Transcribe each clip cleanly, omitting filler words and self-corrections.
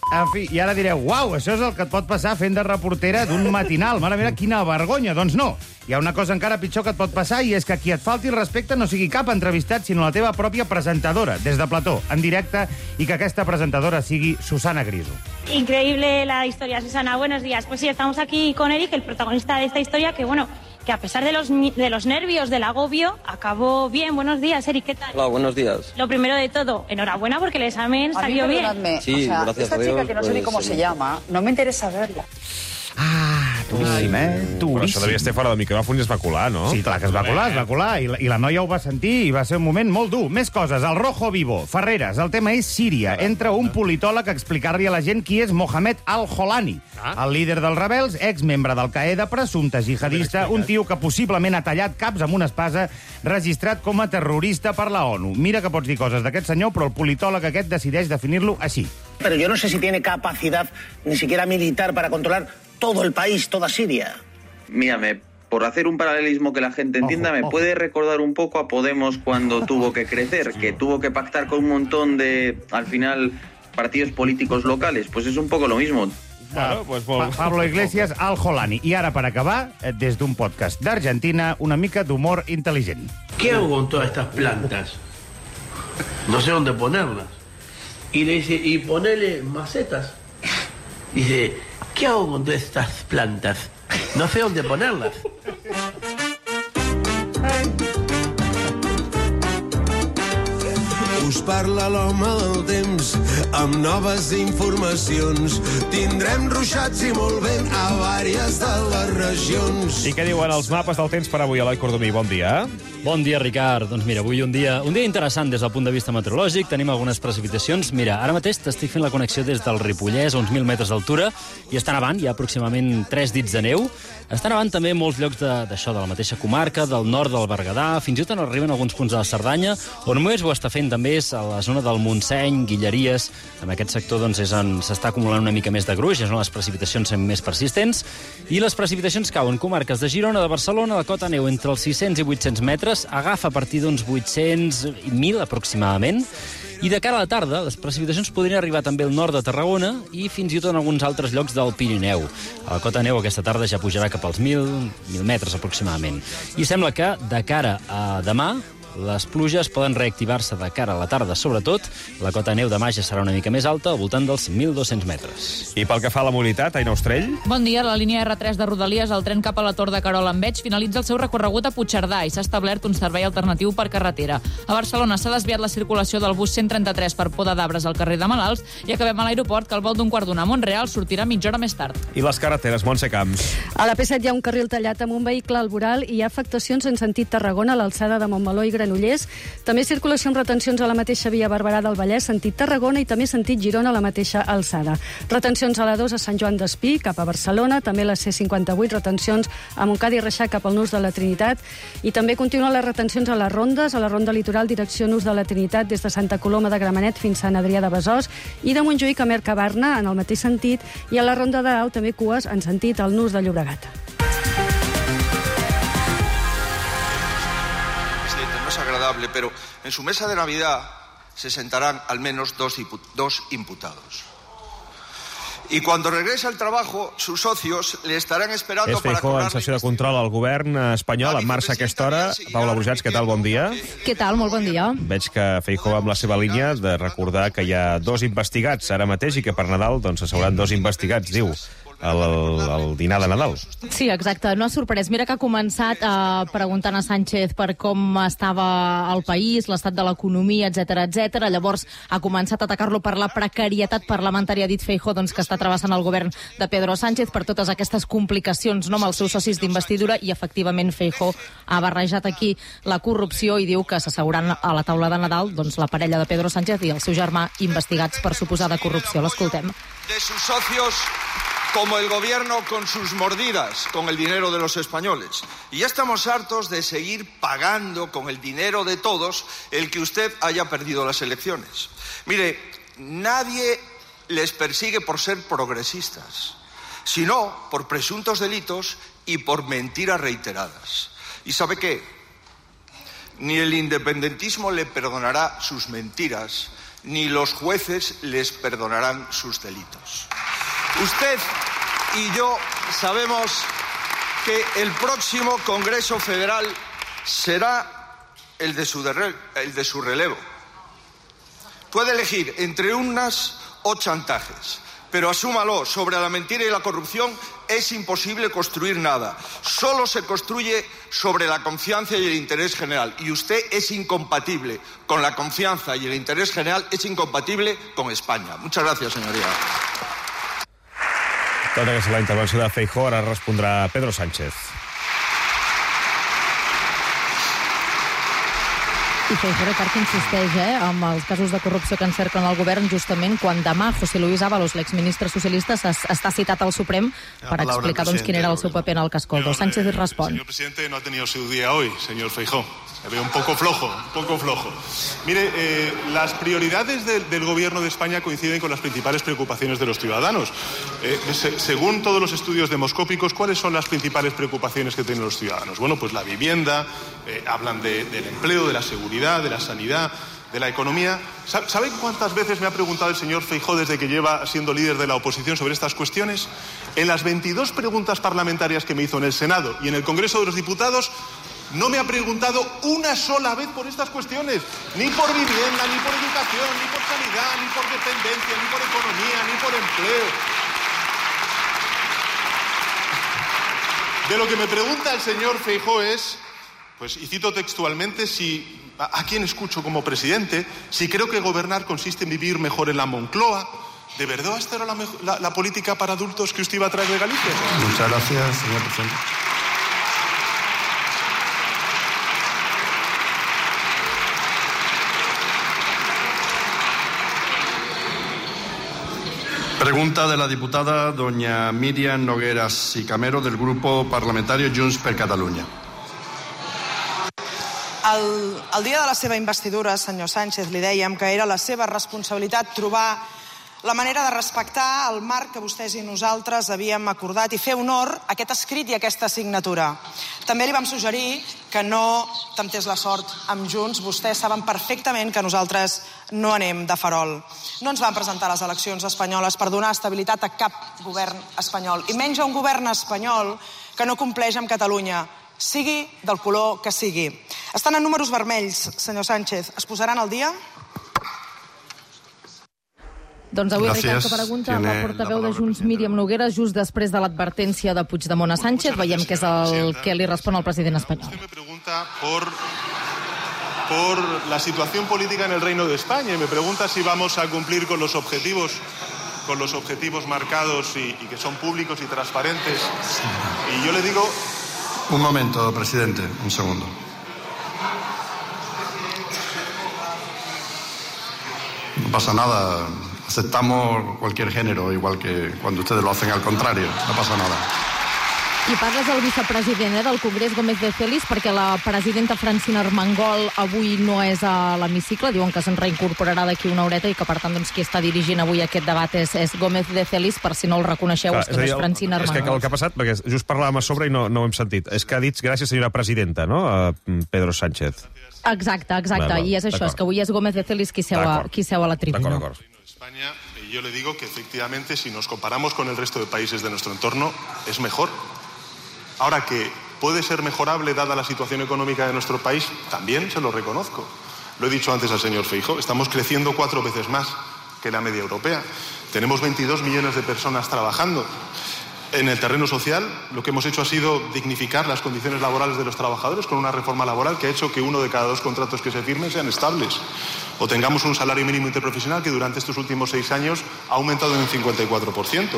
En fi, i ara direu, uau, això és el que et pot passar fent de reportera d'un matinal. Mare meva, quina vergonya. Doncs no. Hi ha una cosa encara pitjor que et pot passar i és que qui et falti el respecte no sigui cap entrevistat, sinó la teva pròpia presentadora, des de plató, en directe, i que aquesta presentadora sigui Susana Griso. Increíble la historia, Susana. Buenos días. Pues sí, estamos aquí con Eric, el protagonista de esta historia, que bueno, que a pesar de los nervios, del agobio, acabó bien. Buenos días, Eric, ¿qué tal? Hola, buenos días. Lo primero de todo, enhorabuena porque el examen salió bien. Sí, gracias esta a Dios, chica que no sé ni cómo se llama, no me interesa verla. Duríssim, Però Duríssim. això devia estar fora del micròfon i es va colar, no? Sí, clar que es va colar, i la noia ho va sentir i va ser un moment molt dur. Més coses, el Rojo Vivo, Ferreres, el tema és Síria. Entra un politòleg a explicar-li a la gent qui és Mohamed al-Holani, el líder dels rebels, exmembre d'Al-Qaeda, presumpte jihadista, un tio que possiblement ha tallat caps amb una espasa, registrat com a terrorista per la ONU. Mira que pots dir coses d'aquest senyor, però el politòleg aquest decideix definir-lo així. Pero yo no sé si tiene capacidad ni siquiera militar para controlar todo el país, toda Siria. Mírame, por hacer un paralelismo que la gente entienda, me puede recordar un poco a Podemos cuando tuvo que crecer, que tuvo que pactar con un montón de, al final, partidos políticos locales. Pues es un poco lo mismo. Bueno, pues Pablo Iglesias, al-Holani. I ara, per acabar, des d'un podcast d'Argentina, una mica d'humor intel·ligent. ¿Qué hago con todas estas plantas? No sé dónde ponerlas. Y le dice, y ponele macetas. Dice, ¿qué hago con todas estas plantas? No sé dónde ponerlas. Us parla l'home del temps amb noves informacions. Tindrem ruixats i molt vent a vàries de les regions. I què diuen els mapes del temps per avui, Eloi Cordomí? Bon dia. Bon dia, Ricard. Doncs mira, avui un dia interessant des del punt de vista meteorològic. Tenim algunes precipitacions. Mira, ara mateix t'estic fent la connexió des del Ripollès, a uns 1.000 metres d'altura, i està nevant, hi ha aproximadament 3 dits de neu. Està nevant també en molts llocs d'això, de la mateixa comarca, del nord del Berguedà, fins i tot arriben alguns punts de la Cerdanya, on més ho està fent també és a la zona del Montseny, Guilleries. En aquest sector doncs, és on s'està acumulant una mica més de gruix, és on les precipitacions són més persistents, i les precipitacions cauen comarques de Girona, de Barcelona, la cota neu entre els 600 i 800 metres, agafa a partir d'uns 800 i 1.000 aproximadament, i de cara a la tarda, les precipitacions podrien arribar també al nord de Tarragona i fins i tot en alguns altres llocs del Pirineu. A la cota neu aquesta tarda ja pujarà cap als 1.000 metres aproximadament. I sembla que de cara a demà les pluges poden reactivar-se de cara a la tarda, sobretot. La cota neu demà ja serà una mica més alta, al voltant dels 1.200 metres. I pel que fa a la mobilitat, Aina Ostrell? Bon dia. La línia R3 de Rodalies, el tren cap a la Tor de Querol en Veig, finalitza el seu recorregut a Puigcerdà i s'ha establert un servei alternatiu per carretera. A Barcelona s'ha desviat la circulació del bus 133 per Poda d'Arbres al carrer de Malalts i acabem a l'aeroport, que al vol d'un quart d'una a Montreal sortirà mitja hora més tard. I les carreteres, Montse Camps? A la P7 hi ha un carril tallat amb un vehicle al voral i hi ha afectacions en sentit Tarragona a l'alçada de Montmeló i Granollers. També circulació amb retencions a la mateixa via Barberà del Vallès, sentit Tarragona, i també sentit Girona a la mateixa alçada. Retencions a la 2 a Sant Joan d'Espí, cap a Barcelona, també la C58, retencions a Montcada i Reixac cap al Nus de la Trinitat, i també continuen les retencions a les rondes, a la ronda litoral direcció Nus de la Trinitat, des de Santa Coloma de Gramenet fins a Sant Adrià de Besòs, i de Montjuïc a Mercabarna, en el mateix sentit, i a la ronda de Dalt també cues en sentit al Nus de Llobregat. No es agradable, pero en su mesa de Navidad se sentarán al menos dos imputados. Y cuando regrese al trabajo, sus socios le estarán esperando És Feijóo en sessió de control al govern espanyol, en marxa a aquesta hora. Paula Brujats, què tal? Bon dia. Què tal? Molt bon dia. Veig que Feijóo amb la seva línia de recordar que hi ha 2 investigats ara mateix i que per Nadal doncs, s'hauran 2 investigats, diu, al dinar de Nadal. Sí, exacte. No ha sorprès. Mira que ha començat preguntant a Sánchez per com estava el país, l'estat de l'economia, etc. Llavors ha començat a atacar-lo per la precarietat parlamentària, ha dit Feijóo, doncs, que està travessant el govern de Pedro Sánchez per totes aquestes complicacions, no, amb els seus socis d'investidura, i efectivament Feijóo ha barrejat aquí la corrupció i diu que s'asseuran a la taula de Nadal doncs, la parella de Pedro Sánchez i el seu germà investigats per suposada corrupció. L'escoltem. De sus socios, como el gobierno con sus mordidas, con el dinero de los españoles. Y ya estamos hartos de seguir pagando con el dinero de todos el que usted haya perdido las elecciones. Mire, nadie les persigue por ser progresistas, sino por presuntos delitos y por mentiras reiteradas. ¿Y sabe qué? Ni el independentismo le perdonará sus mentiras, ni los jueces les perdonarán sus delitos. Usted y yo sabemos que el próximo Congreso Federal será el de su relevo. Puede elegir entre urnas o chantajes, pero asúmalo, sobre la mentira y la corrupción es imposible construir nada. Solo se construye sobre la confianza y el interés general. Y usted es incompatible con la confianza y el interés general, es incompatible con España. Muchas gracias, señoría. Tota aquesta la intervenció de Feijóo, ara respondrà Pedro Sánchez. I Feijóo, Ricard, insisteix amb els casos de corrupció que encerclen el govern justament quan demà José Luis Ábalos, l'exministre socialista, està citat al Suprem per explicar quin era el seu paper en el cas Coldo. Sánchez respon. El señor presidente no ha tenido su día hoy, señor Feijóo. Me veo un poco flojo. Mire, las prioridades del gobierno de España coinciden con las principales preocupaciones de los ciudadanos. Según todos los estudios demoscópicos, ¿cuáles son las principales preocupaciones que tienen los ciudadanos? Bueno, pues la vivienda, hablan del empleo, de la seguridad, de la sanidad, de la economía. ¿Saben cuántas veces me ha preguntado el señor Feijóo desde que lleva siendo líder de la oposición sobre estas cuestiones? En las 22 preguntas parlamentarias que me hizo en el Senado y en el Congreso de los Diputados, no me ha preguntado una sola vez por estas cuestiones, ni por vivienda, ni por educación, ni por sanidad, ni por dependencia, ni por economía, ni por empleo. De lo que me pregunta el señor Feijóo es, pues, y cito textualmente, a quién escucho como presidente, si creo que gobernar consiste en vivir mejor en la Moncloa. ¿De verdad esta era la política para adultos que usted iba a traer de Galicia? Muchas gracias, señor presidente. Pregunta de la diputada doña Míriam Nogueras y Camero del grupo parlamentario Junts per Catalunya. El dia de la seva investidura, senyor Sánchez, li dèiem que era la seva responsabilitat trobar la manera de respectar el marc que vostès i nosaltres havíem acordat i fer honor a aquest escrit i a aquesta signatura. També li vam suggerir que no temptés la sort amb Junts. Vostès saben perfectament que nosaltres no anem de farol. No ens van presentar a les eleccions espanyoles per donar estabilitat a cap govern espanyol, i menys a un govern espanyol que no compleix amb Catalunya, sigui del color que sigui. Estan en números vermells, senyor Sánchez. Es posaran al dia? Doncs avui, Ricard, que pregunta a la portaveu de Junts, Míriam Nogueras, just després de l'advertència de Puigdemont a Sánchez. Veiem que és el que li respon el president espanyol. Usted me pregunta por la situación política en el Reino de España y me pregunta si vamos a cumplir con los objetivos marcados y que son públicos y transparentes. Y yo le digo... Un momento, presidente, un segundo. No pasa nada. Aceptamos cualquier género, igual que cuando ustedes lo hacen al contrario. No pasa nada. I parles del vicepresident del Congrés, Gómez de Celis, perquè la presidenta Francina Armengol avui no és a l'hemicicle. Diuen que se'n reincorporarà d'aquí una horeta i que, per tant, doncs, qui està dirigint avui aquest debat és Gómez de Celis, per si no el reconeixeu, és que no és Francina Armengol. És que el que ha passat, perquè just parlàvem a sobre i no ho hem sentit, és que ha dit gràcies, senyora presidenta, no?, a Pedro Sánchez. Exacte. I és això, és que avui és Gómez de Celis qui seu a la tribuna. D'acord. España, y yo le digo que efectivamente si nos comparamos con el resto de países de nuestro entorno es mejor. Ahora, que puede ser mejorable dada la situación económica de nuestro país, también se lo reconozco. Lo he dicho antes al señor Feijóo, estamos creciendo 4 veces más que la media europea. Tenemos 22 millones de personas trabajando. En el terreno social, lo que hemos hecho ha sido dignificar las condiciones laborales de los trabajadores con una reforma laboral que ha hecho que 1 de cada 2 contratos que se firmen sean estables. O tengamos un salario mínimo interprofesional que durante estos últimos 6 años ha aumentado en un 54%.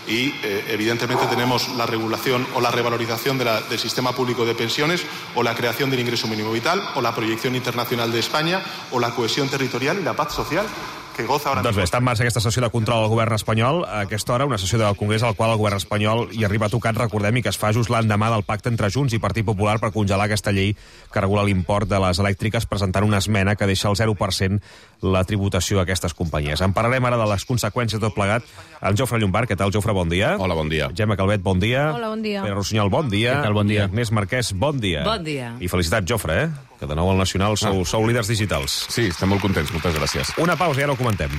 Y, evidentemente, tenemos la regulación o la revalorización del sistema público de pensiones, o la creación del ingreso mínimo vital, o la proyección internacional de España, o la cohesión territorial y la paz social. Doncs bé, està en marxa aquesta sessió de control al govern espanyol. A aquesta hora, una sessió del Congrés al qual el govern espanyol hi arriba tocat, recordem, i que es fa just l'endemà del pacte entre Junts i Partit Popular per congelar aquesta llei que regula l'import de les elèctriques, presentant una esmena que deixa al 0% la tributació a aquestes companyies. En parlarem ara de les conseqüències de tot plegat. En Jofre Llombart, què tal, Jofre? Bon dia. Hola, bon dia. Gemma Calvet, bon dia. Hola, bon dia. Pere Rossinyol, bon dia. Què tal, bon dia. I Agnès Marquès, bon dia. Bon dia. I felicitats, Jofre, que de nou al Nacional sou líders digitals. Sí, estem molt contents, moltes gràcies. Una pausa i ara ho comentem.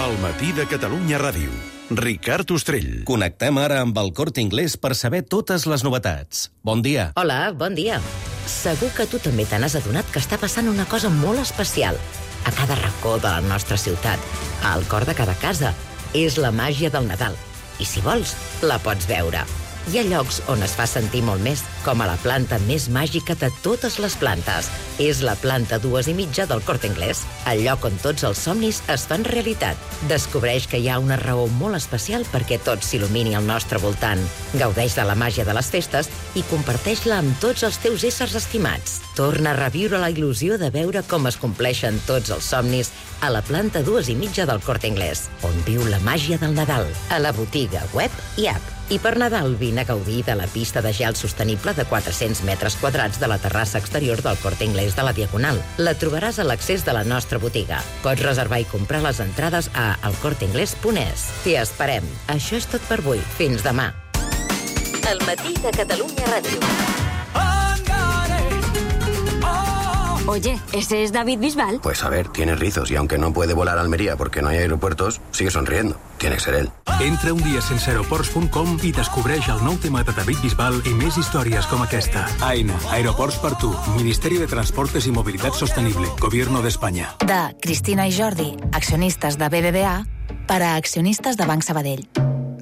El matí de Catalunya Ràdio. Ricard Ostrell. Connectem ara amb el Corte Inglés per saber totes les novetats. Bon dia. Hola, bon dia. Segur que tu també te n'has adonat que està passant una cosa molt especial. A cada racó de la nostra ciutat, al cor de cada casa. És la màgia del Nadal. I si vols, la pots veure. Hi ha llocs on es fa sentir molt més, com a la planta més màgica de totes les plantes. És la planta 2,5 del Corte Inglés, el lloc on tots els somnis es fan realitat. Descobreix que hi ha una raó molt especial perquè tot s'il·lumini al nostre voltant. Gaudeix de la màgia de les festes i comparteix-la amb tots els teus éssers estimats. Torna a reviure la il·lusió de veure com es compleixen tots els somnis a la planta 2,5 del Corte Inglés, on viu la màgia del Nadal, a la botiga, web i app. I per Nadal vine a gaudir de la pista de gel sostenible de 400 metres quadrats de la terrassa exterior del Corte Inglés de la Diagonal. La trobaràs a l'accés de la nostra botiga. Pots reservar i comprar les entrades a elcorteinglés.es. T'hi esperem. Això és tot per avui. Fins demà. El matí de Catalunya Ràdio. Oye, ¿ese es David Bisbal? Pues a ver, tiene rizos y aunque no puede volar a Almería porque no hay aeropuertos, sigue sonriendo. Tiene que ser él. Entra un dia sense aeroports.com i descobreix el nou tema de David Bisbal i més històries com aquesta. AENA, Aeroports per tu, Ministeri de Transportes i Mobilitat Sostenible, Gobierno de España. De Cristina i Jordi, accionistes de BBVA, per a accionistes de Banc Sabadell.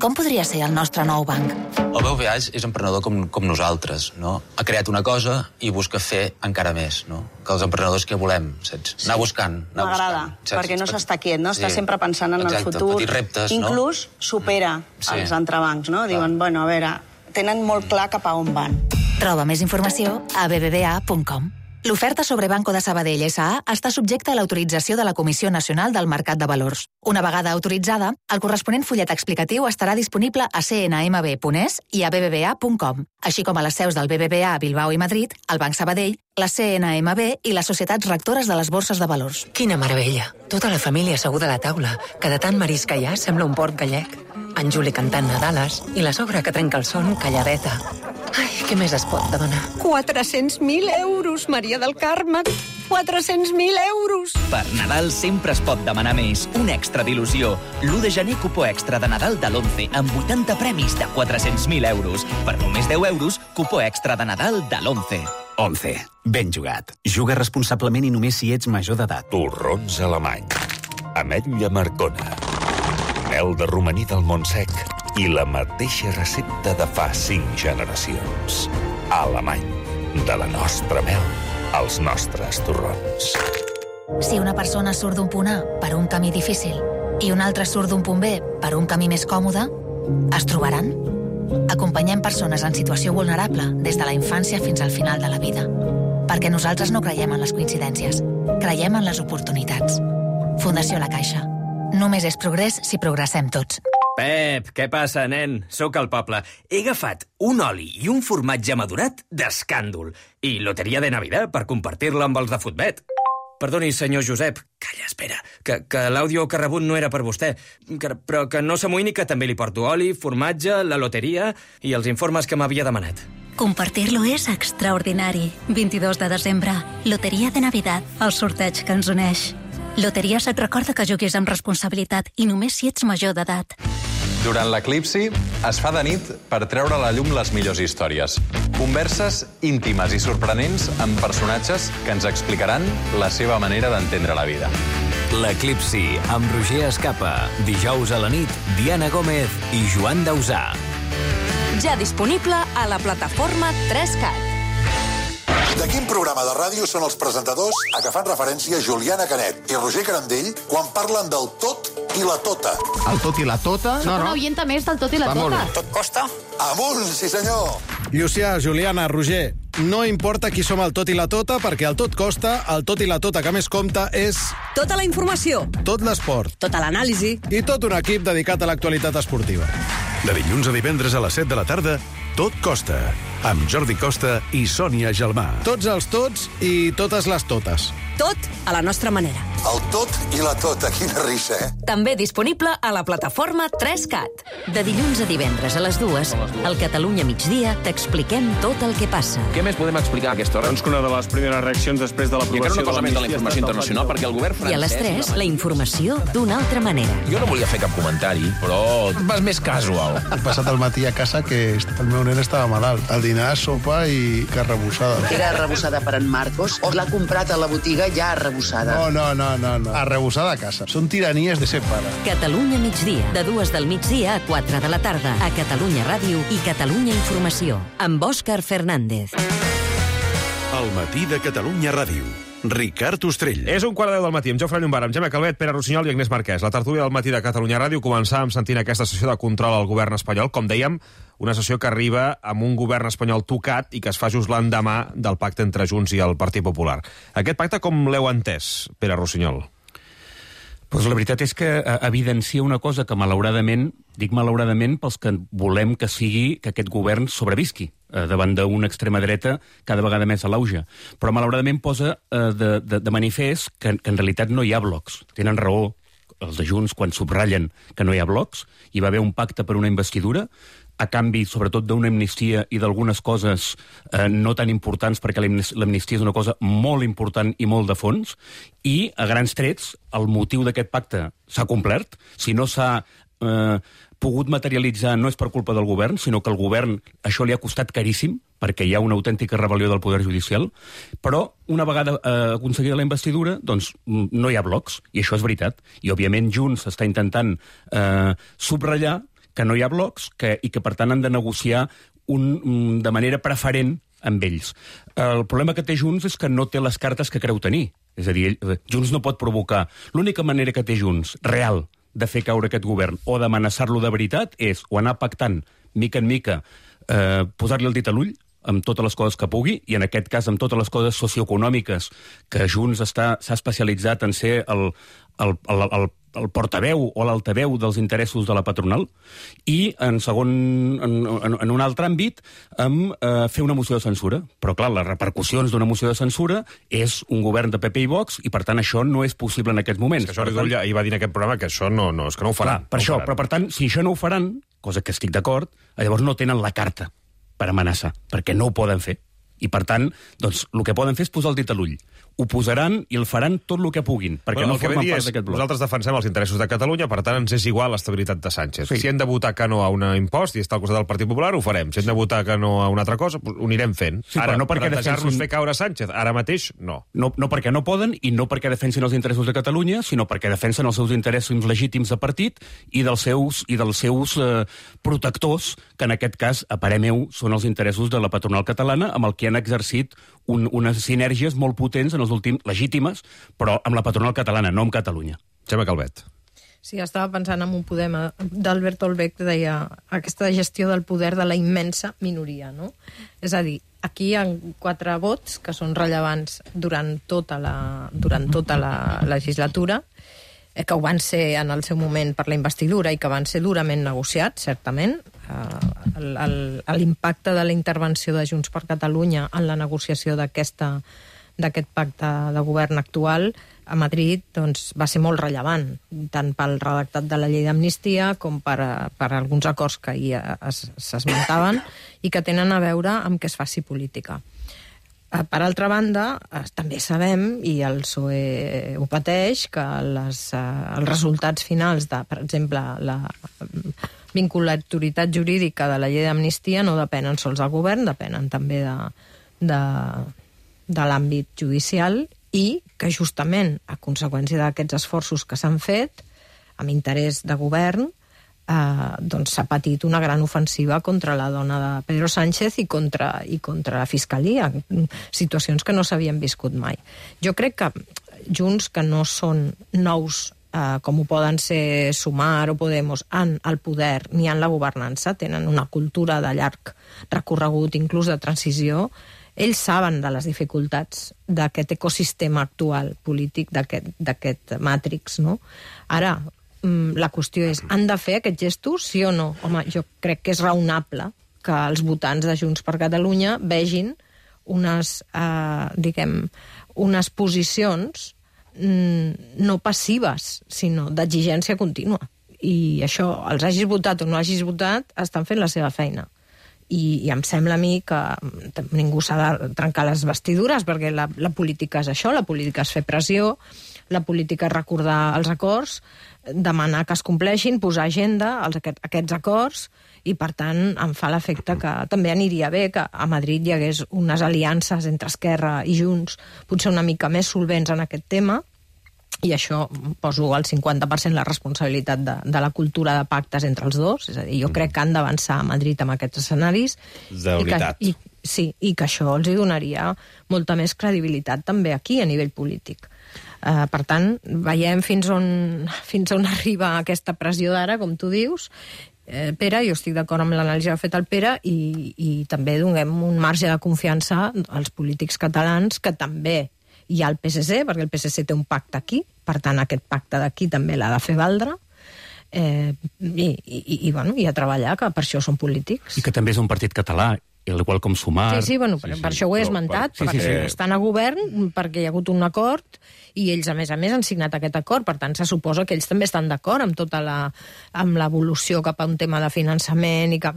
Com podria ser el nostre nou banc? El BBVA és emprenedor com nosaltres, no? Ha creat una cosa i busca fer encara més, no? Que els emprenedors que volem, saps? Anar buscant. M'agrada, perquè no s'està quiet, no? Està sempre pensant en el futur. Petits reptes, no? Inclús supera els entrebancs, no? Diuen, bueno, a veure, tenen molt clar cap a on van. Troba més informació a bbva.com. L'oferta sobre Banco de Sabadell S.A. està subjecta a l'autorització de la Comissió Nacional del Mercat de Valors. Una vegada autoritzada, el corresponent fullet explicatiu estarà disponible a cnmb.es i a bbva.com, així com a les seus del BBVA a Bilbao i Madrid, el Banc Sabadell, la CNMB i les societats rectores de les borses de valors. Quina meravella! Tota la família asseguda a la taula, que de tant marisc que hi ha sembla un port gallec. En Juli cantant Nadales i la sogra que trenca el son calladeta. Ai, què més es pot demanar? 400.000 euros, Maria del Carme! 400.000 euros! Per Nadal sempre es pot demanar més. Un extra d'il·lusió. L'1 de gener, cupó extra de Nadal de l'11, amb 80 premis de 400.000 euros. Per només 10 euros, cupó extra de Nadal de l'11. 11. Ben jugat. Juga responsablement i només si ets major d'edat. Torrons alemany. Ametlla Marcona. Mel de romaní del Montsec. I la mateixa recepta de fa 5 generacions. Alemany. De la nostra mel als nostres torrons. Si una persona surt d'un punt A per un camí difícil i una altra surt d'un punt B per un camí més còmode, es trobaran? Acompanyem persones en situació vulnerable des de la infància fins al final de la vida. Perquè nosaltres no creiem en les coincidències. Creiem en les oportunitats. Fundació La Caixa. Només és progrés si progressem tots. Pep, què passa, nen? Sóc al poble. He agafat un oli i un formatge madurat d'escàndol. I loteria de Navidad per compartir-la amb els de Futbet. Perdoni, senyor Josep. Calla, espera, que l'àudio que ha rebut no era per vostè. Però que no s'amoïni, que també li porto oli, formatge, la loteria i els informes que m'havia demanat. Compartir-lo és extraordinari. 22 de desembre, Loteria de Navidad, el sorteig que ens uneix. Loteries et recorda que juguis amb responsabilitat i només si ets major d'edat. Durant l'eclipsi es fa de nit per treure a la llum les millors històries. Converses íntimes i sorprenents amb personatges que ens explicaran la seva manera d'entendre la vida. L'eclipsi, amb Roger Escapa. Dijous a la nit, Diana Gómez i Joan Dausà. Ja disponible a la plataforma 3CAT. De quin programa de ràdio són els presentadors a què fan referència Juliana Canet i Roger Carandell quan parlen del tot i la tota? El tot i la tota? Soc una oienta més del tot i la tota. Tot costa? Amunt, sí senyor! Llucià, Juliana, Roger, no importa qui som el tot i la tota, perquè el tot costa, el tot i la tota que més compta és... Tota la informació. Tot l'esport. Tota l'anàlisi. I tot un equip dedicat a l'actualitat esportiva. De dilluns a divendres a les 7 de la tarda, Tot costa, amb Jordi Costa i Sònia Gelmà. Tots els tots i totes les totes. Tot a la nostra manera. El tot i la tota, quina risa, eh? També disponible a la plataforma 3CAT. De dilluns a divendres a les 2, al Catalunya migdia, t'expliquem tot el que passa. Què més podem explicar a aquesta hora? Doncs que una de les primeres reaccions després de l'aprovació... I encara una cosa més de la informació internacional, perquè el govern francès... I a les 3, la informació d'una altra manera. Jo no volia fer cap comentari, però vas més casual. He passat el matí a casa que el meu nen estava malalt. Al dinar, sopa i carn arrebossada. Era arrebossada per en Marcos o l'ha comprat a la botiga ja arrebossada? No. Arrebossada a casa. Són tiranies de ser pare. Catalunya migdia, de 2 del migdia a 4 de la tarda, a Catalunya Ràdio i Catalunya Informació, amb Òscar Fernández. El matí de Catalunya Ràdio. Ricard Ostrell. És 1:15 del matí, amb Jofre Llombard, amb Gemma Calvet, Pere Rossinyol i Agnès Marquès. La tertúlia del matí de Catalunya Ràdio començàvem sentint aquesta sessió de control al govern espanyol. Com dèiem, una sessió que arriba amb un govern espanyol tocat i que es fa just l'endemà del pacte entre Junts i el Partit Popular. Aquest pacte com l'heu entès, Pere Rossinyol? Pues la veritat és que evidencia una cosa que malauradament, dic malauradament pels que volem que sigui que aquest govern sobrevisqui davant d'una extrema dreta cada vegada més a l'auge. Però malauradament posa de manifest que en realitat no hi ha blocs. Tenen raó els de Junts quan subratllen que no hi ha blocs. Hi va haver un pacte per una investidura a canvi, sobretot, d'una amnistia i d'algunes coses no tan importants, perquè l'amnistia és una cosa molt important i molt de fons, i, a grans trets, el motiu d'aquest pacte s'ha complert. Si no s'ha pogut materialitzar no és per culpa del govern, sinó que al govern això li ha costat caríssim, perquè hi ha una autèntica rebel·lió del poder judicial, però una vegada aconseguida la investidura, doncs no hi ha blocs, i això és veritat. I, òbviament, Junts està intentant subratllar que no hi ha blocs i que, per tant, han de negociar de manera preferent amb ells. El problema que té Junts és que no té les cartes que creu tenir. És a dir, Junts no pot provocar. L'única manera que té Junts, real, de fer caure aquest govern o d'amenaçar-lo de veritat és o anar pactant, mica en mica, posar-li el dit a l'ull amb totes les coses que pugui, i en aquest cas amb totes les coses socioeconòmiques que Junts s'ha especialitzat en ser el portaveu o l'altaveu dels interessos de la patronal, i en un altre àmbit fer una moció de censura. Però clar, les repercussions d'una moció de censura és un govern de PP i Vox, i per tant això no és possible en aquests moments. És que Jordi Turull ahir va dir en aquest programa que això no, és que no ho faran. Per això, però per tant, si això no ho faran, cosa que estic d'acord, llavors no tenen la carta per amenaçar, perquè no ho poden fer. I, per tant, doncs, el que poden fer és posar el dit a l'ull. Ho posaran i el faran tot el que puguin, perquè no formen part d'aquest bloc. Nosaltres defensem els interessos de Catalunya, per tant, ens és igual l'estabilitat de Sánchez. Sí. Si hem de votar que no a un impost i està al costat del Partit Popular, ho farem. Si hem de votar que no a una altra cosa, ho anirem fent. Sí, ara, no perquè plantejar-nos fer caure Sánchez, ara mateix, no. No perquè no poden, i no perquè defensin els interessos de Catalunya, sinó perquè defensen els seus interessos legítims de partit i dels seus protectors, que en aquest cas, a parer meu, són els interessos de la patronal catalana, amb el que han exercit unes sinergies molt potents en els últims, legítimes, però amb la patronal catalana, no amb Catalunya. Gemma Calvet. Sí, estava pensant en un poema d'Albert Olbeck que deia aquesta gestió del poder de la immensa minoria, no? És a dir, aquí hi ha 4 vots que són rellevants durant tota la legislatura, que ho van ser en el seu moment per la investidura i que van ser durament negociats, certament. L'impacte de la intervenció de Junts per Catalunya en la negociació d'aquest pacte de govern actual a Madrid doncs, va ser molt rellevant, tant pel redactat de la llei d'amnistia com per alguns acords que ahir s'esmentaven i que tenen a veure amb que es faci política. Per altra banda, també sabem, i el PSOE ho pateix, que els resultats finals de, per exemple, la vinculatoritat jurídica de la llei d'amnistia no depenen sols del govern, depenen també de l'àmbit judicial, i que justament a conseqüència d'aquests esforços que s'han fet amb interès de govern doncs s'ha patit una gran ofensiva contra la dona de Pedro Sánchez i contra la Fiscalia, situacions que no s'havien viscut mai. Jo crec que Junts, que no són nous com ho poden ser Sumar o Podemos en el poder ni en la governança, tenen una cultura de llarg recorregut, inclús de transició, ells saben de les dificultats d'aquest ecosistema actual polític, d'aquest màtrix, no? Ara, la qüestió és, han de fer aquests gestos, sí o no? Home, jo crec que és raonable que els votants de Junts per Catalunya vegin unes posicions no passives, sinó d'exigència contínua. I això, els hagis votat o no hagis votat, estan fent la seva feina. I em sembla a mi que ningú s'ha de trencar les vestidures, perquè la política és això, la política és fer pressió, la política és recordar els acords, demanar que es compleixin, posar agenda a aquests acords, i per tant em fa l'efecte que també aniria bé que a Madrid hi hagués unes aliances entre Esquerra i Junts potser una mica més solvents en aquest tema, i això poso al 50% la responsabilitat de la cultura de pactes entre els dos, és a dir, jo crec que han d'avançar a Madrid amb aquests escenaris. De unitat. Sí, i que això els hi donaria molta més credibilitat també aquí a nivell polític. Per tant, veiem fins on arriba aquesta pressió d'ara, com tu dius. Pere, jo estic d'acord amb l'anàlisi que ha fet el Pere, i també donem un marge de confiança als polítics catalans, que també hi ha el PSC, perquè el PSC té un pacte aquí, per tant aquest pacte d'aquí també l'ha de fer valdre, i a treballar, que per això són polítics. I que també és un partit català, igual com Sumar... Sí, per això ho he esmentat, perquè estan a govern, perquè hi ha hagut un acord, i ells, a més, han signat aquest acord, per tant, se suposa que ells també estan d'acord amb l'evolució cap a un tema de finançament, i que,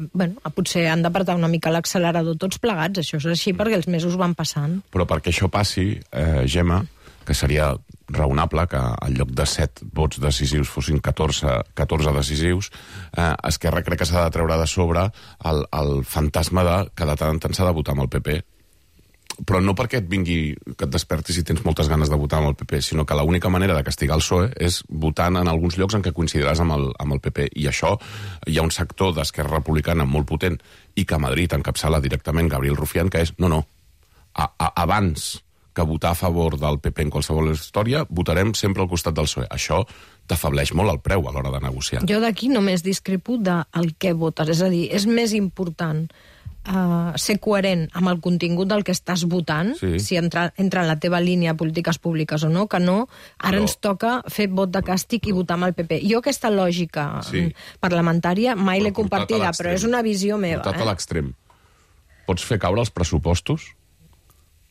potser han d'apretar una mica l'accelerador tots plegats, això és així, perquè els mesos van passant. Però perquè això passi, Gemma, que seria raonable que en lloc de 7 vots decisius fossin 14 decisius, Esquerra crec que s'ha de treure de sobre el fantasma que de tant en tant s'ha de votar amb el PP. Però no perquè que et despertis i tens moltes ganes de votar amb el PP, sinó que l'única manera de castigar el PSOE és votant en alguns llocs en què coincidiràs amb el PP. I això, hi ha un sector d'Esquerra Republicana molt potent, i que a Madrid encapçala directament Gabriel Rufián, que és, abans que votar a favor del PP en qualsevol història, votarem sempre al costat del PSOE. Això t'afableix molt el preu a l'hora de negociar. Jo d'aquí només discrepo del què votes. És a dir, és més important ser coherent amb el contingut del que estàs votant, si entra en la teva línia de polítiques públiques o no, que no. Ara ens toca fer vot de càstig i votar amb el PP. Jo aquesta lògica parlamentària mai l'he compartida, però és una visió meva. Portat a l'extrem. Pots fer caure els pressupostos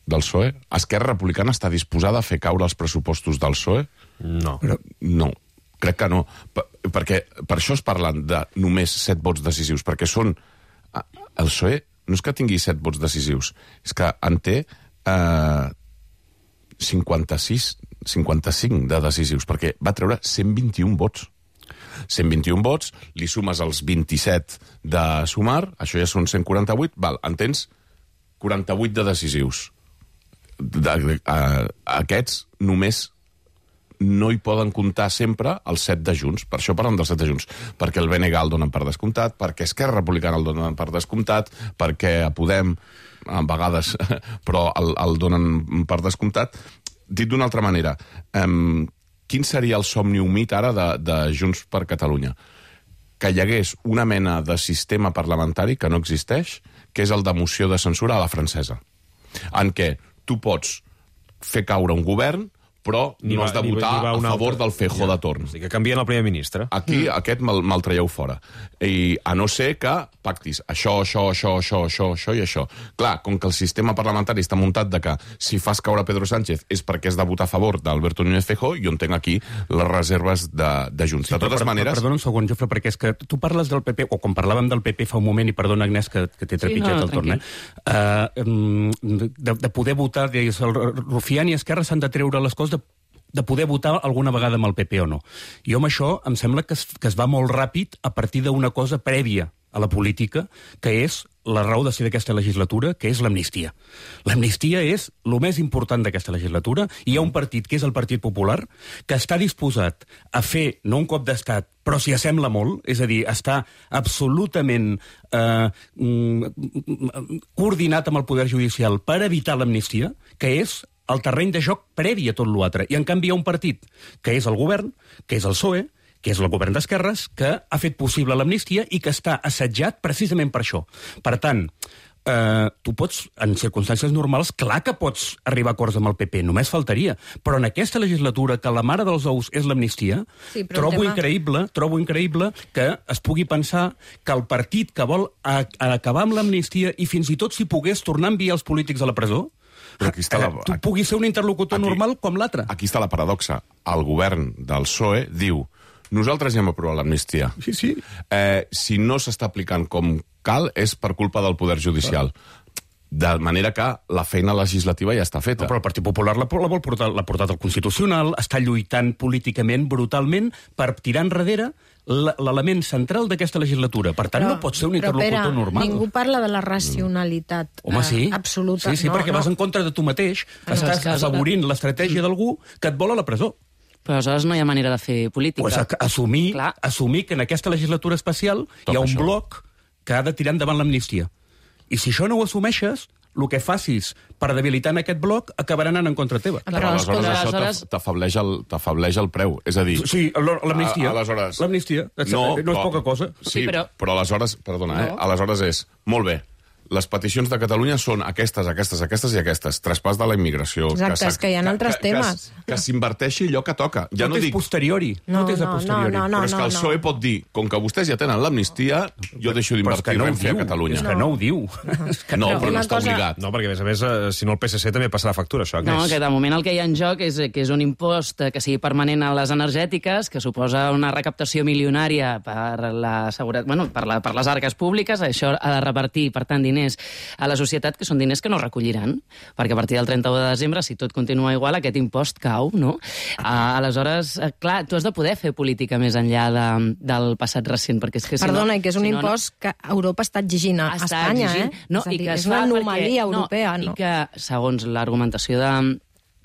del PSOE? Esquerra Republicana està disposada a fer caure els pressupostos del PSOE? No. No, crec que no. Perquè per això es parlen de només 7 vots decisius, perquè són... El PSOE no és que tingui 7 vots decisius, és que en té 55 de decisius, perquè va treure 121 vots. 121 vots, li sumes els 27 de Sumar, això ja són 148, en tens 48 de decisius. Aquests només no hi poden comptar sempre els 7 de Junts. Per això parlem dels 7 de Junts. Perquè el BNG el donen per descomptat, perquè Esquerra Republicana el donen per descomptat, perquè a Podem, a vegades, però el donen per descomptat. Dit d'una altra manera, quin seria el somni humit ara de Junts per Catalunya? Que hi hagués una mena de sistema parlamentari que no existeix, que és el de moció de censura a la francesa, en què tu pots fer caure un govern, però no has de votar a favor del Feijóo de torn. O sigui, que canvien el primer ministre. Aquí, aquest me'l traieu fora. I a no ser que pactis això i això. Clar, com que el sistema parlamentari està muntat de que si fas caure Pedro Sánchez és perquè has de votar a favor d'Alberto Núñez Feijóo, jo entenc aquí les reserves de Junts. De totes maneres... Perdona un segon, Jofre, perquè és que tu parles del PP, o quan parlàvem del PP fa un moment, i perdona, Agnès, que t'he trepitjat el torn, de poder votar, deies, el Rufián i Esquerra s'han de treure les coses de poder votar alguna vegada amb el PP o no. Jo amb això em sembla que es va molt ràpid a partir d'una cosa prèvia a la política, que és la raó de ser d'aquesta legislatura, que és l'amnistia. L'amnistia és el més important d'aquesta legislatura, i hi ha un partit, que és el Partit Popular, que està disposat a fer, no un cop d'estat, però s'hi assembla molt, és a dir, està absolutament coordinat amb el Poder Judicial per evitar l'amnistia, que és el terreny de joc previ a tot l'altre. I en canvi hi ha un partit, que és el govern, que és el PSOE, que és el govern d'esquerres, que ha fet possible l'amnistia i que està assetjat precisament per això. Per tant, tu pots, en circumstàncies normals, clar que pots arribar a acords amb el PP, només faltaria. Però en aquesta legislatura, que la mare dels ous és l'amnistia, trobo increïble que es pugui pensar que el partit que vol acabar amb l'amnistia i fins i tot si pogués tornar a enviar els polítics a la presó, tu puguis ser un interlocutor normal com l'altre. Aquí està la paradoxa. El govern del PSOE diu: nosaltres ja hem aprovat l'amnistia. Sí. Si no s'està aplicant com cal, és per culpa del Poder Judicial. De manera que la feina legislativa ja està feta. No, però el Partit Popular l'ha portat al Constitucional, està lluitant políticament, brutalment, per tirar enrere l'element central d'aquesta legislatura. Per tant, no pot ser un interlocutor normal. Ningú parla de la racionalitat absoluta. Sí, perquè vas en contra de tu mateix, estàs afavorint l'estratègia d'algú que et vol a la presó. Però aleshores no hi ha manera de fer política. Assumir que en aquesta legislatura especial hi ha un bloc que ha de tirar endavant l'amnistia. I si això no ho assumeixes, el que facis per debilitar en aquest bloc acabarà anant en contra teva. Però aleshores t'afableix el preu. És a dir... Sí, l'amnistia. L'amnistia. No és poca cosa. Sí, però aleshores... Perdona, aleshores és... Molt bé. Les peticions de Catalunya són aquestes i aquestes. Traspàs de la immigració. Exacte, és que hi ha altres temes. Que s'inverteixi allò que toca. Ja no és posteriori. No, però és que el PSOE pot dir, com que vostès ja tenen l'amnistia, jo deixo d'invertir Renfe a Catalunya. És que no ho diu. No, però no està obligat. No, perquè a més, si no el PSC també passarà factura, això. No, que de moment el que hi ha en joc és que és un impost que sigui permanent a les energètiques, que suposa una recaptació milionària per la seguretat, bueno, per les arques públiques. Això ha de repartir, per tant, diners a la societat, que són diners que no recolliran, perquè a partir del 31 de desembre, si tot continua igual, aquest impost cau, no? Aleshores, clar, tu has de poder fer política més enllà del passat recent, perquè és que Perdona, i que és un impost que Europa està exigint a Espanya, No, és a dir, és una anomalia europea, no? I que, segons l'argumentació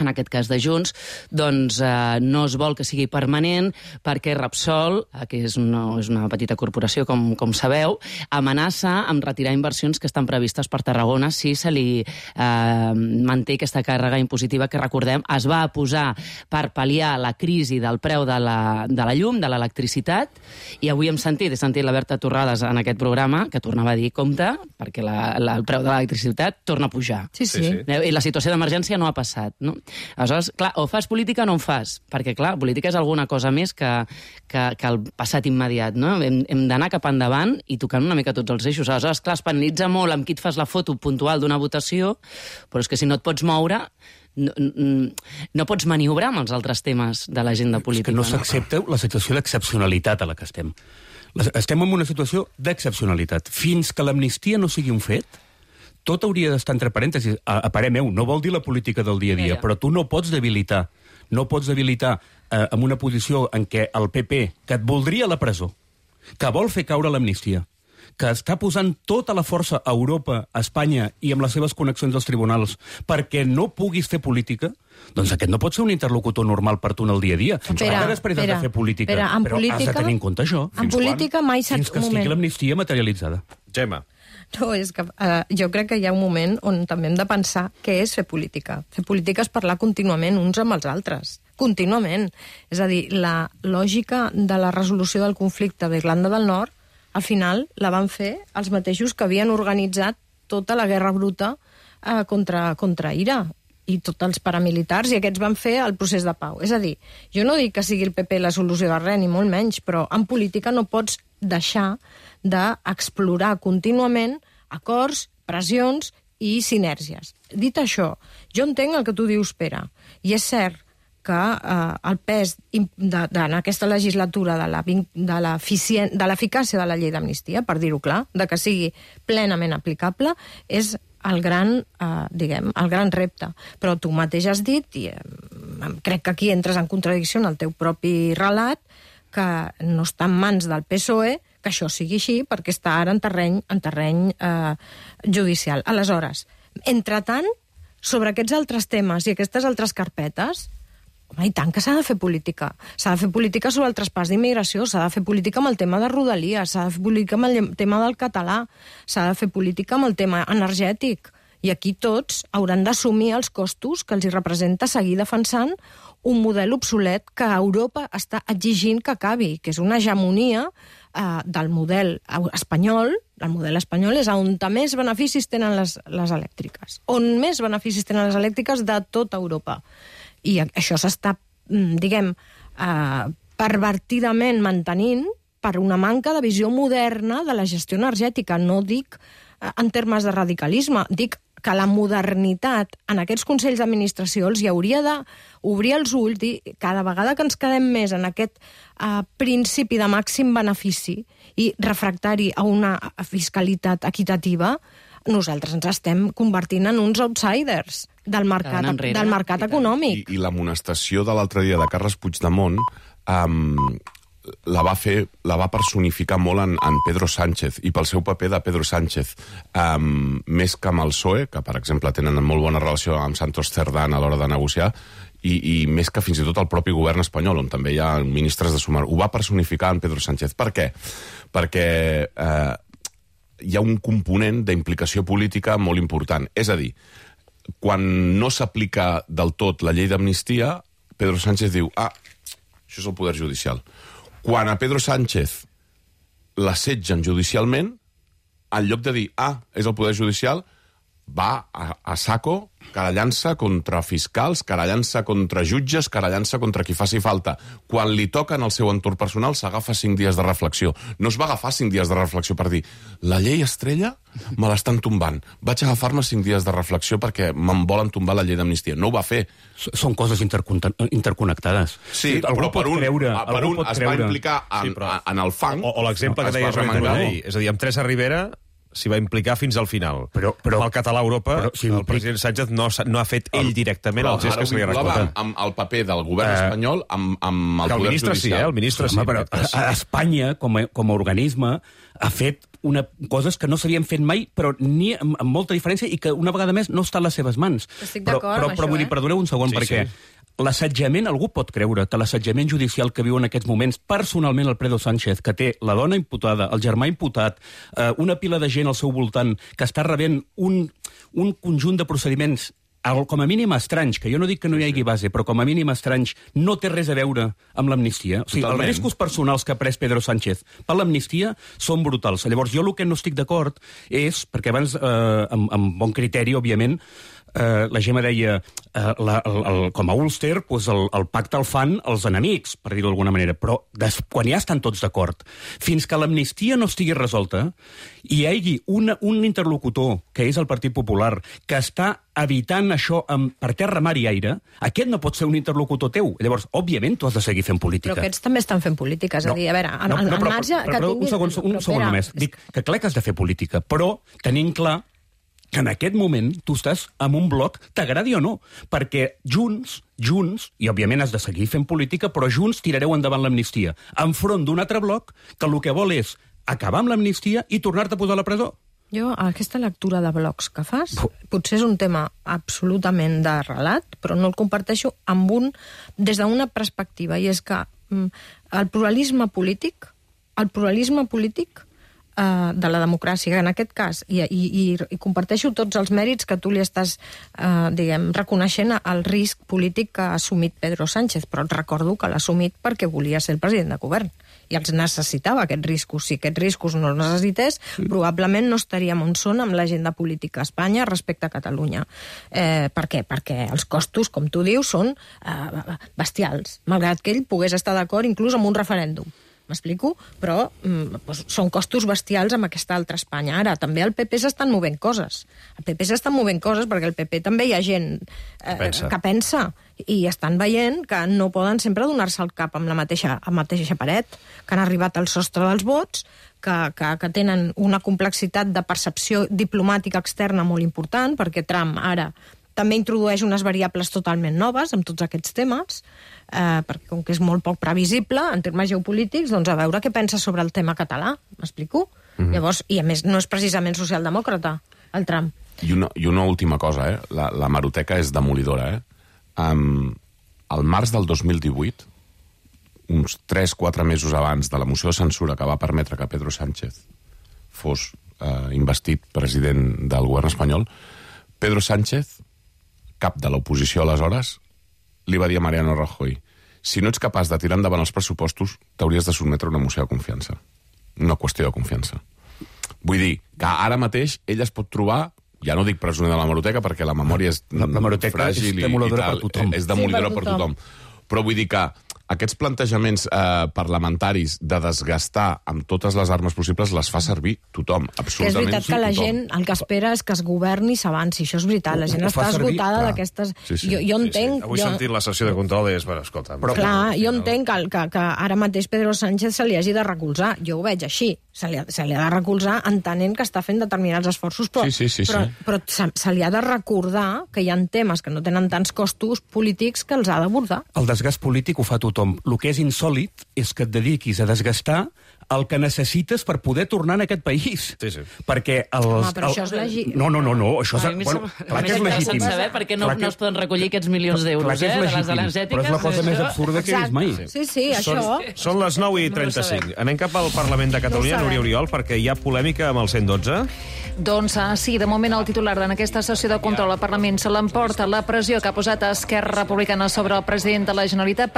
en aquest cas de Junts, doncs no es vol que sigui permanent perquè Repsol, que és una petita corporació, com sabeu, amenaça amb retirar inversions que estan previstes per Tarragona si se li manté aquesta càrrega impositiva que, recordem, es va posar per pal·liar la crisi del preu de la llum, de l'electricitat, i avui he sentit la Berta Torrades en aquest programa, que tornava a dir, compte, perquè el preu de l'electricitat torna a pujar. Sí. I la situació d'emergència no ha passat, no? Aleshores, clar, o fas política o no en fas, perquè, clar, política és alguna cosa més que el passat immediat, no? Hem d'anar cap endavant i tocant una mica tots els eixos. Aleshores, clar, es penalitza molt amb qui et fas la foto puntual d'una votació, però és que si no et pots moure, no pots maniobrar amb els altres temes de l'agenda política. És que no s'accepta la situació d'excepcionalitat a la que estem. Estem en una situació d'excepcionalitat. Fins que l'amnistia no sigui un fet, tot hauria d'estar entre parèntesis. A parer meu, no vol dir la política del dia a dia, però tu no pots debilitar en una posició en què el PP, que et voldria a la presó, que vol fer caure l'amnistia, que està posant tota la força a Europa, a Espanya i amb les seves connexions als tribunals perquè no puguis fer política, doncs aquest no pot ser un interlocutor normal per tu en el dia a dia. Perquè després has de fer política, però has de tenir en compte això. En política mai saps... Fins que estigui l'amnistia materialitzada. Gemma. No, és que jo crec que hi ha un moment on també hem de pensar què és fer política. Fer política és parlar contínuament uns amb els altres. Contínuament. És a dir, la lògica de la resolució del conflicte d'Irlanda del Nord, al final la van fer els mateixos que havien organitzat tota la guerra bruta contra Ira i tots els paramilitars, i aquests van fer el procés de pau. És a dir, jo no dic que sigui el PP la solució de res, ni molt menys, però en política no pots deixar d'explorar contínuament acords, pressions i sinergies. Dit això, jo entenc el que tu dius, Pere, i és cert que el pes en aquesta legislatura de l'eficàcia de la llei d'amnistia, per dir-ho clar, de que sigui plenament aplicable, és el gran repte. Però tu mateix has dit, i crec que aquí entres en contradicció en el teu propi relat, que no està en mans del PSOE que això sigui així, perquè està ara en terreny judicial. Aleshores, entretant, sobre aquests altres temes i aquestes altres carpetes, home, i tant que s'ha de fer política. S'ha de fer política sobre el traspàs d'immigració, s'ha de fer política amb el tema de Rodalies, s'ha de fer política amb el tema del català, s'ha de fer política amb el tema energètic. I aquí tots hauran d'assumir els costos que els hi representa seguir defensant un model obsolet que Europa està exigint que acabi, que és una hegemonia del model espanyol. El model espanyol és on més beneficis tenen les elèctriques. On més beneficis tenen les elèctriques de tota Europa. I això s'està, diguem, pervertidament mantenint per una manca de visió moderna de la gestió energètica. No dic en termes de radicalisme, dic que la modernitat en aquests consells d'administració els hi hauria d'obrir els ulls i cada vegada que ens quedem més en aquest principi de màxim benefici i refractari a una fiscalitat equitativa, nosaltres ens estem convertint en uns outsiders del mercat econòmic. I l'amonestació de l'altre dia de Carles Puigdemont la va personificar molt en Pedro Sánchez i pel seu paper de Pedro Sánchez, més que amb el PSOE, que per exemple tenen molt bona relació amb Santos Cerdán a l'hora de negociar, i més que fins i tot el propi govern espanyol, on també hi ha ministres de sumar. Ho va personificar en Pedro Sánchez. Per què? Perquè hi ha un component d'implicació política molt important. És a dir, quan no s'aplica del tot la llei d'amnistia, Pedro Sánchez diu, això és el poder judicial. Quan a Pedro Sánchez l'assetgen judicialment, en lloc de dir, és el poder judicial, va a saco, querellant-se contra fiscals, querellant-se contra jutges, querellant-se contra qui faci falta. Quan li toca en el seu entorn personal, s'agafa 5 dies de reflexió. No es va agafar 5 dies de reflexió per dir la llei estrella me l'estan tombant. Vaig agafar-me 5 dies de reflexió perquè me'n volen tombar la llei d'amnistia. No ho va fer. Són coses interconnectades. Sí, però per un es va implicar en el fang. O l'exemple que deies amb la llei. És a dir, amb Teresa Rivera s'hi va implicar fins al final. Però el català a Europa, el president Sánchez no ha fet ell directament el gest que se li ha recordat. Amb el paper del govern espanyol, amb el poder judicial. El ministre sí. Però Espanya, com a organisme, ha fet coses que no s'havien fet mai, però ni amb molta diferència, i que una vegada més no està a les seves mans. Estic d'acord amb això, Però vull dir, perdoneu un segon, perquè l'assetjament, algú pot creure que l'assetjament judicial que viu en aquests moments personalment el Pedro Sánchez, que té la dona imputada, el germà imputat, una pila de gent al seu voltant que està rebent un conjunt de procediments com a mínim estranys, que jo no dic que no hi hagi base, però com a mínim estranys, no té res a veure amb l'amnistia. O sigui, els riscos personals que ha pres Pedro Sánchez per l'amnistia són brutals. Llavors, jo el que no estic d'acord és, perquè abans, amb bon criteri, òbviament, la Gemma deia, com a Ulster, el pacte el fan els enemics, per dir-ho d'alguna manera, però quan ja estan tots d'acord, fins que l'amnistia no estigui resolta, i hi hagi un interlocutor, que és el Partit Popular, que està evitant això per terra, mar i aire, aquest no pot ser un interlocutor teu. Llavors, òbviament, tu has de seguir fent política. Però aquests també estan fent política, és a dir, a veure, al marge... Però un segon només. Dic que clar que has de fer política, però tenint clar que en aquest moment tu estàs en un bloc, t'agradi o no, perquè Junts, i òbviament has de seguir fent política, però Junts tirareu endavant l'amnistia, enfront d'un altre bloc que el que vol és acabar amb l'amnistia i tornar-te a posar a la presó. Jo, aquesta lectura de blocs que fas, potser és un tema absolutament de relat, però no el comparteixo des d'una perspectiva, i és que el pluralisme polític de la democràcia, en aquest cas, i comparteixo tots els mèrits que tu li estàs, reconeixent el risc polític que ha assumit Pedro Sánchez, però et recordo que l'ha assumit perquè volia ser el president de govern, i els necessitava, aquests riscos. Si aquests riscos no els necessités, probablement no estaríem on són amb l'agenda política a Espanya respecte a Catalunya. Per què? Perquè els costos, com tu dius, són bestials, malgrat que ell pogués estar d'acord inclús amb un referèndum. M'explico? Però són costos bestials amb aquesta altra Espanya. Ara, també al PP s'estan movent coses. Al PP s'estan movent coses perquè al PP també hi ha gent que pensa i estan veient que no poden sempre donar-se el cap amb la mateixa paret, que han arribat al sostre dels vots, que tenen una complexitat de percepció diplomàtica externa molt important, perquè Trump ara també introdueix unes variables totalment noves amb tots aquests temes, perquè com que és molt poc previsible en termes geopolítics, doncs a veure què pensa sobre el tema català, m'explico? Llavors, i a més no és precisament socialdemòcrata, el Trump. I una última cosa, la hemeroteca és demolidora. Al març del 2018, uns 3-4 mesos abans de la moció de censura que va permetre que Pedro Sánchez fos investit president del govern espanyol, Pedro Sánchez, cap de l'oposició aleshores, li va dir a Mariano Rajoy: si no ets capaç de tirar endavant els pressupostos, t'hauries de sotmetre una moció de confiança. una qüestió de confiança. Vull dir que ara mateix ell es pot trobar, ja no dic presoner de l'hemeroteca, perquè la memòria és fràgil i demoledora per tothom. És demolidora per tothom. Però vull dir que aquests plantejaments parlamentaris de desgastar amb totes les armes possibles les fa servir tothom, absolutament tothom. És veritat que la gent el que espera és que es governi i s'avanci, això és veritat, la gent està esgotada d'aquestes... Jo entenc... Avui sentim la sessió de control i és, escolta... Clar, jo entenc que ara mateix Pedro Sánchez se li hagi de recolzar, jo ho veig així, se li ha de recolzar entenent que està fent determinats esforços, però se li ha de recordar que hi ha temes que no tenen tants costos polítics que els ha d'abordar. El desgast polític ho fa tothom. El que és insòlit és que et dediquis a desgastar el que necessites per poder tornar en aquest país. Perquè però això és legítim. No, això és... Clar que és legítim. Saber per què no es poden recollir aquests milions d'euros, de les energètiques. Però és la cosa més absurda que he vist mai. Sí, això... Són les 9:35. Anem cap al Parlament de Catalunya, Núria Oriol, perquè hi ha polèmica amb el 112. Doncs sí, de moment el titular en aquesta sessió de control al Parlament se l'emporta la pressió que ha posat Esquerra Republicana sobre el president de la Generalitat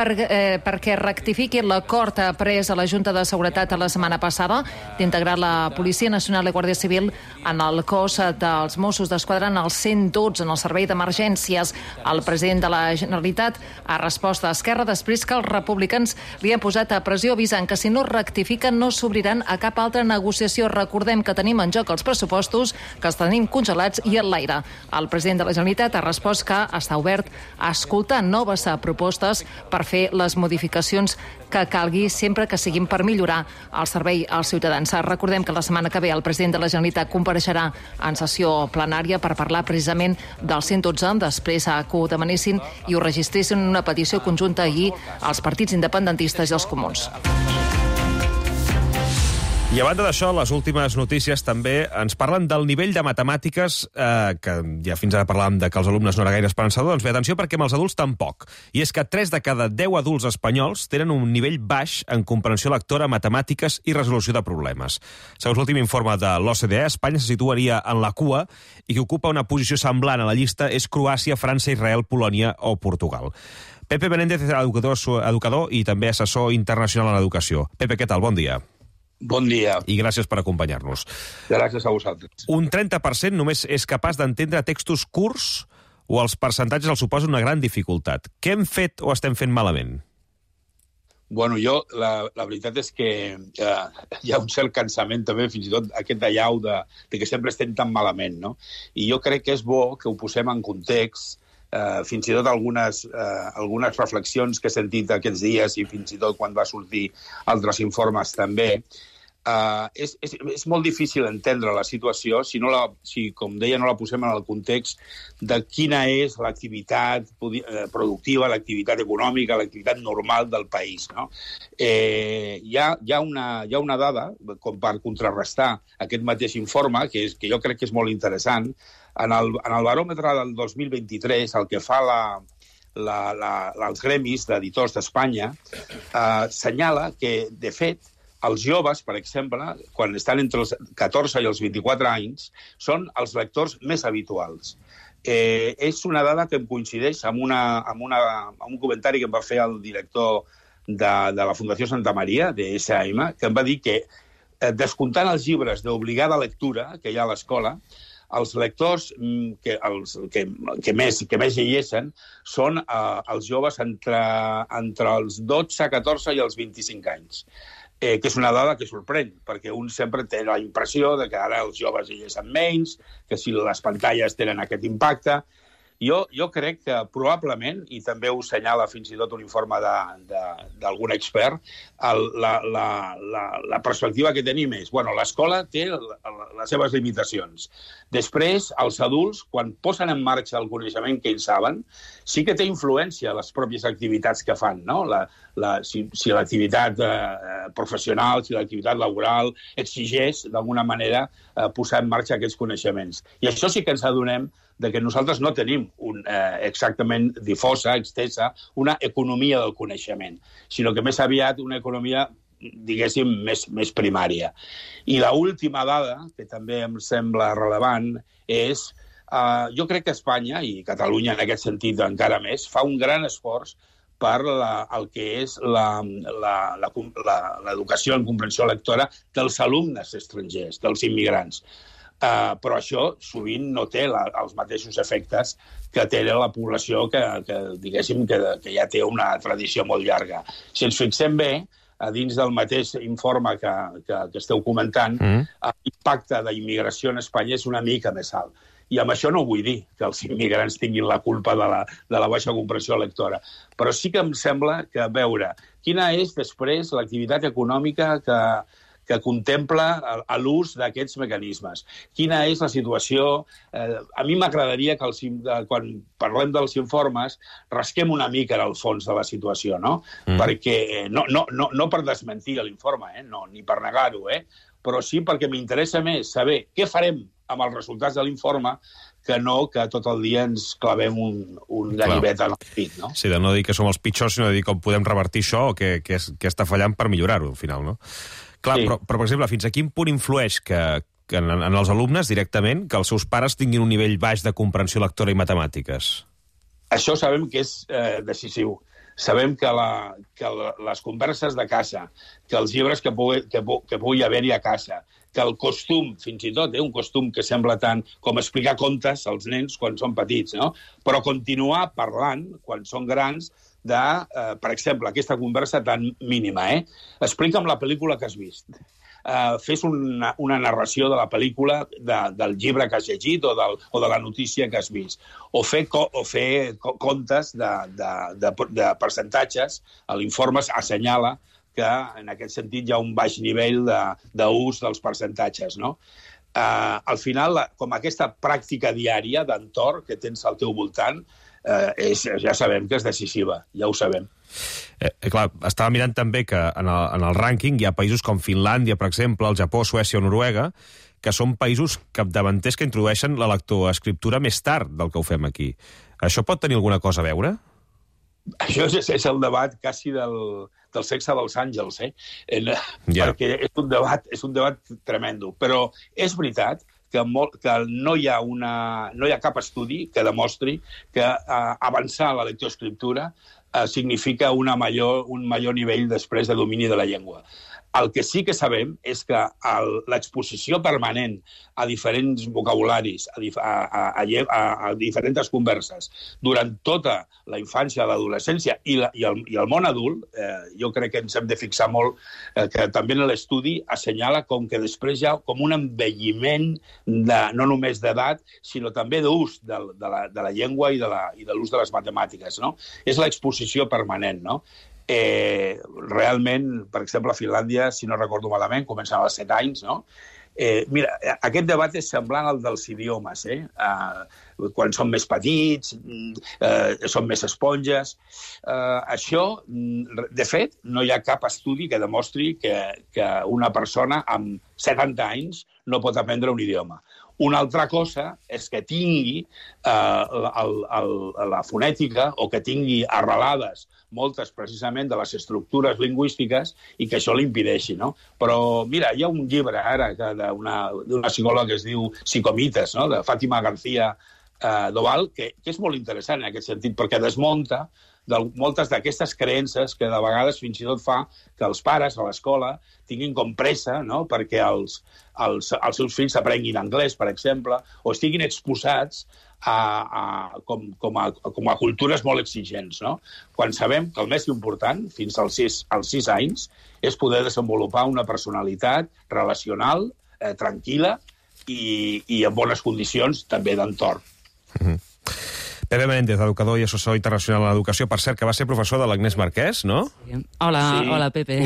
perquè rectifiqui l'acord pres a la Junta de Seguretat la setmana passada d'integrar la Policia Nacional i Guàrdia Civil en el cos dels Mossos d'Esquadra en el 112, en el servei d'emergències. El president de la Generalitat ha respost a Esquerra després que els republicans li han posat a pressió avisant que si no rectifiquen no s'obriran a cap altra negociació. Recordem que tenim en joc els pressupostos que els tenim congelats i en l'aire. El president de la Generalitat ha respost que està obert a escoltar noves propostes per fer les modificacions que calgui sempre que siguin per millorar el servei als ciutadans. Recordem que la setmana que ve el president de la Generalitat compareixerà en sessió plenària per parlar precisament del 112, després que ho demanessin i ho registressin en una petició conjunta ahir als partits independentistes i els comuns. I a banda d'això, les últimes notícies també ens parlen del nivell de matemàtiques, que ja fins ara parlàvem de que els alumnes no era gaire esperançador, doncs bé, atenció, perquè amb els adults tampoc. I és que 3 de cada 10 adults espanyols tenen un nivell baix en comprensió lectora, matemàtiques i resolució de problemes. Segons l'últim informe de l'OCDE, Espanya se situaria en la cua i que ocupa una posició semblant a la llista és Croàcia, França, Israel, Polònia o Portugal. Pepe Menéndez és educador i també assessor internacional en educació. Pepe, què tal? Bon dia. Bon dia. I gràcies per acompanyar-nos. Gràcies a vosaltres. Un 30% només és capaç d'entendre textos curts o els percentatges els suposen una gran dificultat. Què hem fet o estem fent malament? Bueno, la veritat és que hi ha un cert cansament també, fins i tot aquest allau de que sempre estem tan malament, no? I jo crec que és bo que ho posem en context, fins i tot algunes reflexions que he sentit aquests dies i fins i tot quan va sortir altres informes també. És molt difícil entendre la situació si, com deia, no la posem en el context de quina és l'activitat productiva, l'activitat econòmica, l'activitat normal del país, no? Hi ha una dada, com per contrarrestar aquest mateix informe, que jo crec que és molt interessant. En el baròmetre del 2023, el que fa els gremis d'editors d'Espanya senyala que, de fet, els joves, per exemple, quan estan entre els 14 i els 24 anys, són els lectors més habituals. És una dada que em coincideix amb un comentari que em va fer el director de la Fundació Santa Maria, de SM, que em va dir que, descomptant els llibres d'obligada lectura que hi ha a l'escola, els lectors que més llegeixen són els joves entre els 12, 14 i els 25 anys. Que és una dada que sorprèn, perquè un sempre té la impressió de que ara els joves llegeixen menys, que si les pantalles tenen aquest impacte. Jo crec que probablement, i també ho assenyala fins i tot un informe d'algun expert, la perspectiva que tenim és, l'escola té les seves limitacions. Després, els adults, quan posen en marxa el coneixement que ells saben, sí que té influència a les pròpies activitats que fan, no? Si l'activitat professional, si l'activitat laboral exigeix, d'alguna manera, posar en marxa aquests coneixements. I això sí que ens adonem de que nosaltres no tenim exactament difosa, extensa, una economia del coneixement, sinó que més aviat una economia, diguéssim, més primària. I l'última dada, que també em sembla rellevant, és jo crec que Espanya, i Catalunya en aquest sentit encara més, fa un gran esforç per el que és l'educació en comprensió lectora dels alumnes estrangers, dels immigrants. Però això sovint no té els mateixos efectes que té la població que diguéssim, que ja té una tradició molt llarga. Si ens fixem bé, a dins del mateix informe que esteu comentant, l'impacte d'immigració en Espanya és una mica més alt. I amb això no vull dir que els immigrants tinguin la culpa de la baixa comprensió lectora, però sí que em sembla que veure quina és després l'activitat econòmica que contempla l'ús d'aquests mecanismes. Quina és la situació? A mi m'agradaria que quan parlem dels informes rasquem una mica en el fons de la situació, no? Perquè no per desmentir l'informe, ni per negar-ho, però sí perquè m'interessa més saber què farem amb els resultats de l'informe que no que tot el dia ens clavem un ganivet en el pit, no? Sí, de no dir que som els pitjors, sinó de dir com podem revertir això o què està fallant per millorar-ho, al final, no? Clar, sí. Però, per exemple, fins a quin punt influeix que en els alumnes directament que els seus pares tinguin un nivell baix de comprensió lectora i matemàtiques? Això sabem que és decisiu. Sabem que les converses de casa, que els llibres que pugui haver-hi a casa, que el costum, fins i tot, un costum que sembla tant com explicar contes als nens quan són petits, no? Però continuar parlant, quan són grans, per exemple, aquesta conversa tan mínima. Explica'm la pel·lícula que has vist. Fes una narració de la pel·lícula, del llibre que has llegit o de la notícia que has vist. O fer comptes de percentatges. L'informe assenyala que, en aquest sentit, hi ha un baix nivell d'ús dels percentatges, no? Al final, com aquesta pràctica diària d'entorn que tens al teu voltant, ja sabem que és decisiva, ja ho sabem. Clar, estava mirant també que en el rànquing hi ha països com Finlàndia, per exemple, el Japó, Suècia o Noruega, que són països capdavanters que introdueixen la lectoescriptura més tard del que ho fem aquí. Això pot tenir alguna cosa a veure? Això és el debat quasi del sexe dels àngels, perquè és un debat tremendo. Però és veritat que no hi ha cap estudi que demostri que avançar la lectoescriptura significa un major nivell després de domini de la llengua. El que sí que sabem és que l'exposició permanent a diferents vocabularis, a diferents converses, durant tota la infància, l'adolescència i el món adult, jo crec que ens hem de fixar molt que també en l'estudi assenyala com que després hi ha com un envelliment no només d'edat, sinó també d'ús de la llengua i de l'ús de les matemàtiques, no? És l'exposició permanent, no? Realment, per exemple, a Finlàndia, si no recordo malament, comencen als 7 anys, no? Mira, aquest debat és semblant al dels idiomes, quan són més petits, són més esponges. Això, de fet, no hi ha cap estudi que demostri que una persona amb 70 anys no pot aprendre un idioma. Una altra cosa és que tingui la fonètica o que tingui arrelades moltes precisament de les estructures lingüístiques i que això l'impedeixi, no? Però, mira, hi ha un llibre ara d'una psicòloga que es diu Psicomites, no? De Fàtima García Doval, que és molt interessant en aquest sentit, perquè desmunta moltes d'aquestes creences que de vegades fins i tot fa que els pares a l'escola tinguin com pressa, no?, perquè els seus fills aprenguin anglès, per exemple, o estiguin exposats com a cultures molt exigents, no? Quan sabem que el més important, fins als 6 anys, és poder desenvolupar una personalitat relacional, tranquil·la i en bones condicions també d'entorn. Pepe Menéndez, educador i assessor internacional en educació, per cert, que va ser professor de l'Agnès Marquès, no? Hola, Pepe.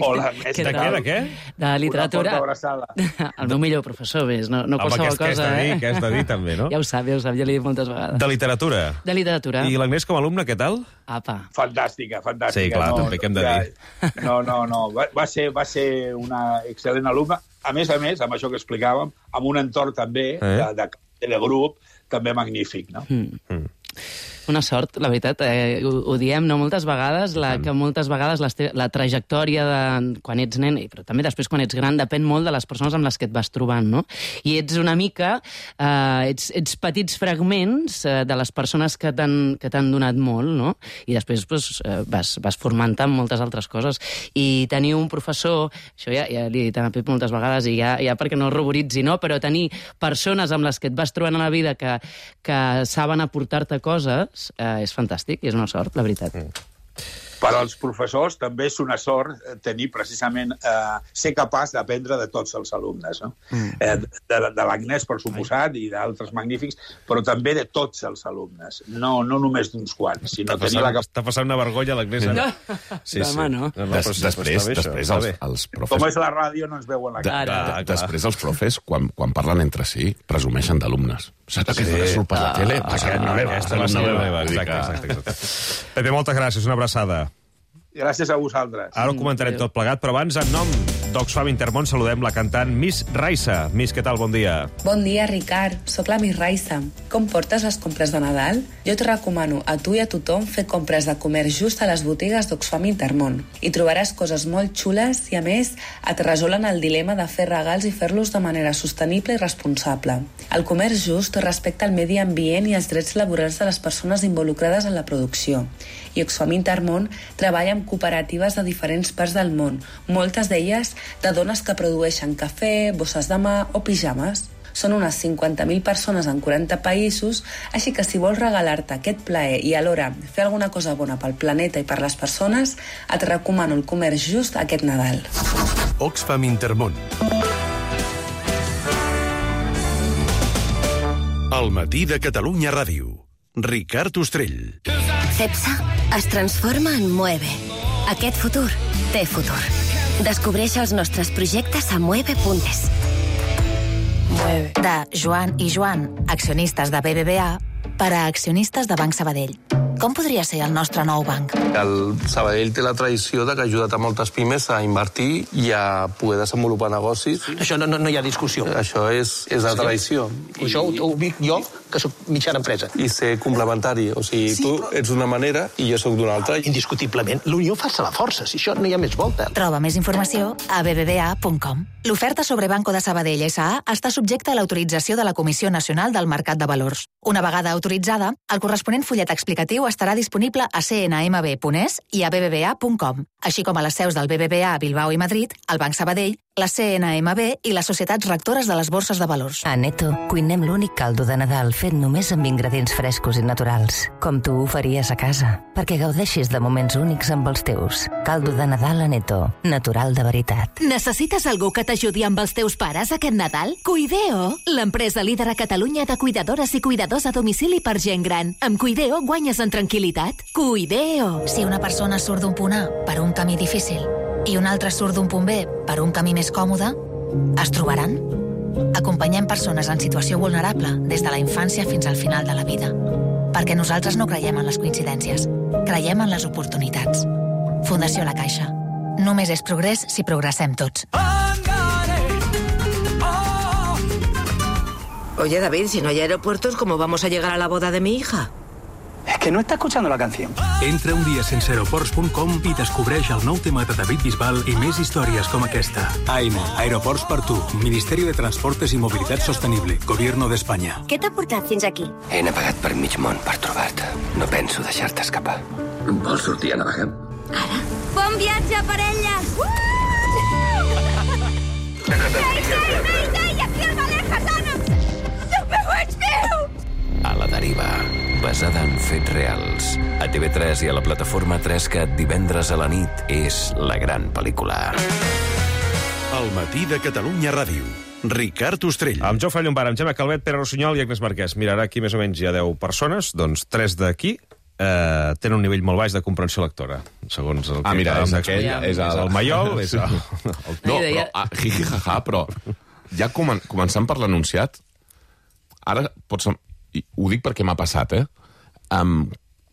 Hola, de què? De literatura. El meu millor professor, més, no qualsevol cosa. Què has de dir, també, no? Ja ho sap, ja l'he dit moltes vegades. De literatura? De literatura. I l'Agnès com a alumne, què tal? Apa. Fantàstica. Sí, clar, també què hem de dir. No. Va ser una excel·lent alumna. A més, amb això que explicàvem, amb un entorn també de grup, també magnífic, no? Una sort, la veritat. Ho diem, no, moltes vegades, que moltes vegades la trajectòria de quan ets nen, però també després quan ets gran, depèn molt de les persones amb les que et vas trobant, no? I ets una mica... ets petits fragments de les persones que t'han donat molt, no? I després vas formant-te amb moltes altres coses. I tenir un professor, això ja li he dit a Pep moltes vegades, i ja perquè no el ruboritzi, no? Però tenir persones amb les que et vas trobant a la vida que saben aportar-te coses és fantàstic i és una sort, la veritat. Per als professors també és una sort tenir precisament ser capaç d'aprendre de tots els alumnes, no? De l'Agnès, per suposat, i d'altres magnífics, però també de tots els alumnes, no només d'uns quants, sinó tenir la capacitat... Està passant una vergonya l'Agnès. Demà no. Després els profes... Com és la ràdio, no ens veuen la cara. Després els profes, quan parlen entre si, presumeixen d'alumnes. Saps que surt per la tele? Aquesta és la meva. Exacte. Pepe, moltes gràcies, una abraçada. Gràcies a vosaltres. Ara ho comentarem tot plegat, però abans, en nom d'Oxfam Intermón, saludem la cantant Miss Raissa. Miss, què tal? Bon dia. Bon dia, Ricard. Soc la Miss Raissa. Com portes les compres de Nadal? Jo et recomano a tu i a tothom fer compres de comerç just a les botigues d'Oxfam Intermón. Hi trobaràs coses molt xules i, a més, et resolen el dilema de fer regals i fer-los de manera sostenible i responsable. El comerç just respecta el medi ambient i els drets laborals de les persones involucrades en la producció. I Oxfam Intermón treballa amb cooperatives de diferents parts del món, moltes d'elles de dones que produeixen cafè, bosses de mà o pijames. Són unes 50.000 persones en 40 països, així que si vols regalar-te aquest plaer i alhora fer alguna cosa bona pel planeta i per les persones, et recomano el comerç just aquest Nadal. Oxfam Intermón. El matí de Catalunya Ràdio. Ricard Ostrell. Cepsa es transforma en Mueve. Aquest futur té futur. Descobreix els nostres projectes a mueve.es. De Joan i Joan, accionistes de BBVA, per a accionistes de Banc Sabadell. Com podria ser el nostre nou banc? El Sabadell té la tradició de que ha ajudat a moltes pimes a invertir i a poder desenvolupar negocis. Això no hi ha discussió. Això és la tradició. Això ho dic jo, que soc mitjana empresa. I ser complementari. O sigui, tu ets d'una manera i jo sóc d'una altra. Indiscutiblement. L'unió fa la força. Si això no hi ha més volta. Troba més informació a bbva.com. L'oferta sobre Banco de Sabadell S.A. està subjecta a l'autorització de la Comissió Nacional del Mercat de Valors. Una vegada autoritzada, el corresponent fullet explicatiu estarà disponible a cnmb.es i a bbva.com, així com a les seus del BBVA a Bilbao i Madrid, el Banc Sabadell, la CNMB i les societats rectores de les borses de valors. A Neto cuinem l'únic caldo de Nadal fet només amb ingredients frescos i naturals, com tu ho faries a casa, perquè gaudeixis de moments únics amb els teus. Caldo de Nadal a Neto, natural de veritat. Necessites algú que t'ajudi amb els teus pares aquest Nadal? Cuideo, l'empresa líder a Catalunya de cuidadores i cuidadors a domicili per gent gran. Amb Cuideo guanyes en tranquil·litat. Cuideo. Si una persona surt d'un punt A per un camí difícil i un altre surt d'un punt B per un camí més còmode, es trobaran? Acompanyem persones en situació vulnerable des de la infància fins al final de la vida. Perquè nosaltres no creiem en les coincidències, creiem en les oportunitats. Fundació La Caixa. Només és progrés si progressem tots. Oye, David, si no hay aeropuertos, ¿cómo vamos a llegar a la boda de mi hija? Es que no está escuchando la canción. Entra un dia sense aeroports.com i descobreix el nou tema de David Bisbal i més històries com aquesta. AIME, Aeroports per tu, Ministeri de Transportes i Mobilitat Sostenible, Gobierno d'Espanya. Què t'ha portat fins aquí? He navegat per mig món per trobar-te. No penso deixar-te escapar. Vols sortir a navegar? Bon viatge, parella! A la deriva, basada en fets reals. A TV3 i a la plataforma 3CAT divendres a la nit és la gran pel·lícula. El matí de Catalunya Ràdio. Ricard Ostrell. Amb Jofre Llombard, amb Gemma Calvet, Pere Rossinyol i Agnès Marquès. Mira, ara aquí més o menys hi ha 10 persones, doncs 3 d'aquí tenen un nivell molt baix de comprensió lectora, segons el que... mira, és aquell, és el Maiol, és el... No, però, jiji-jaja, però ja començant per l'enunciat, ara pots... Ho dic perquè m'ha passat,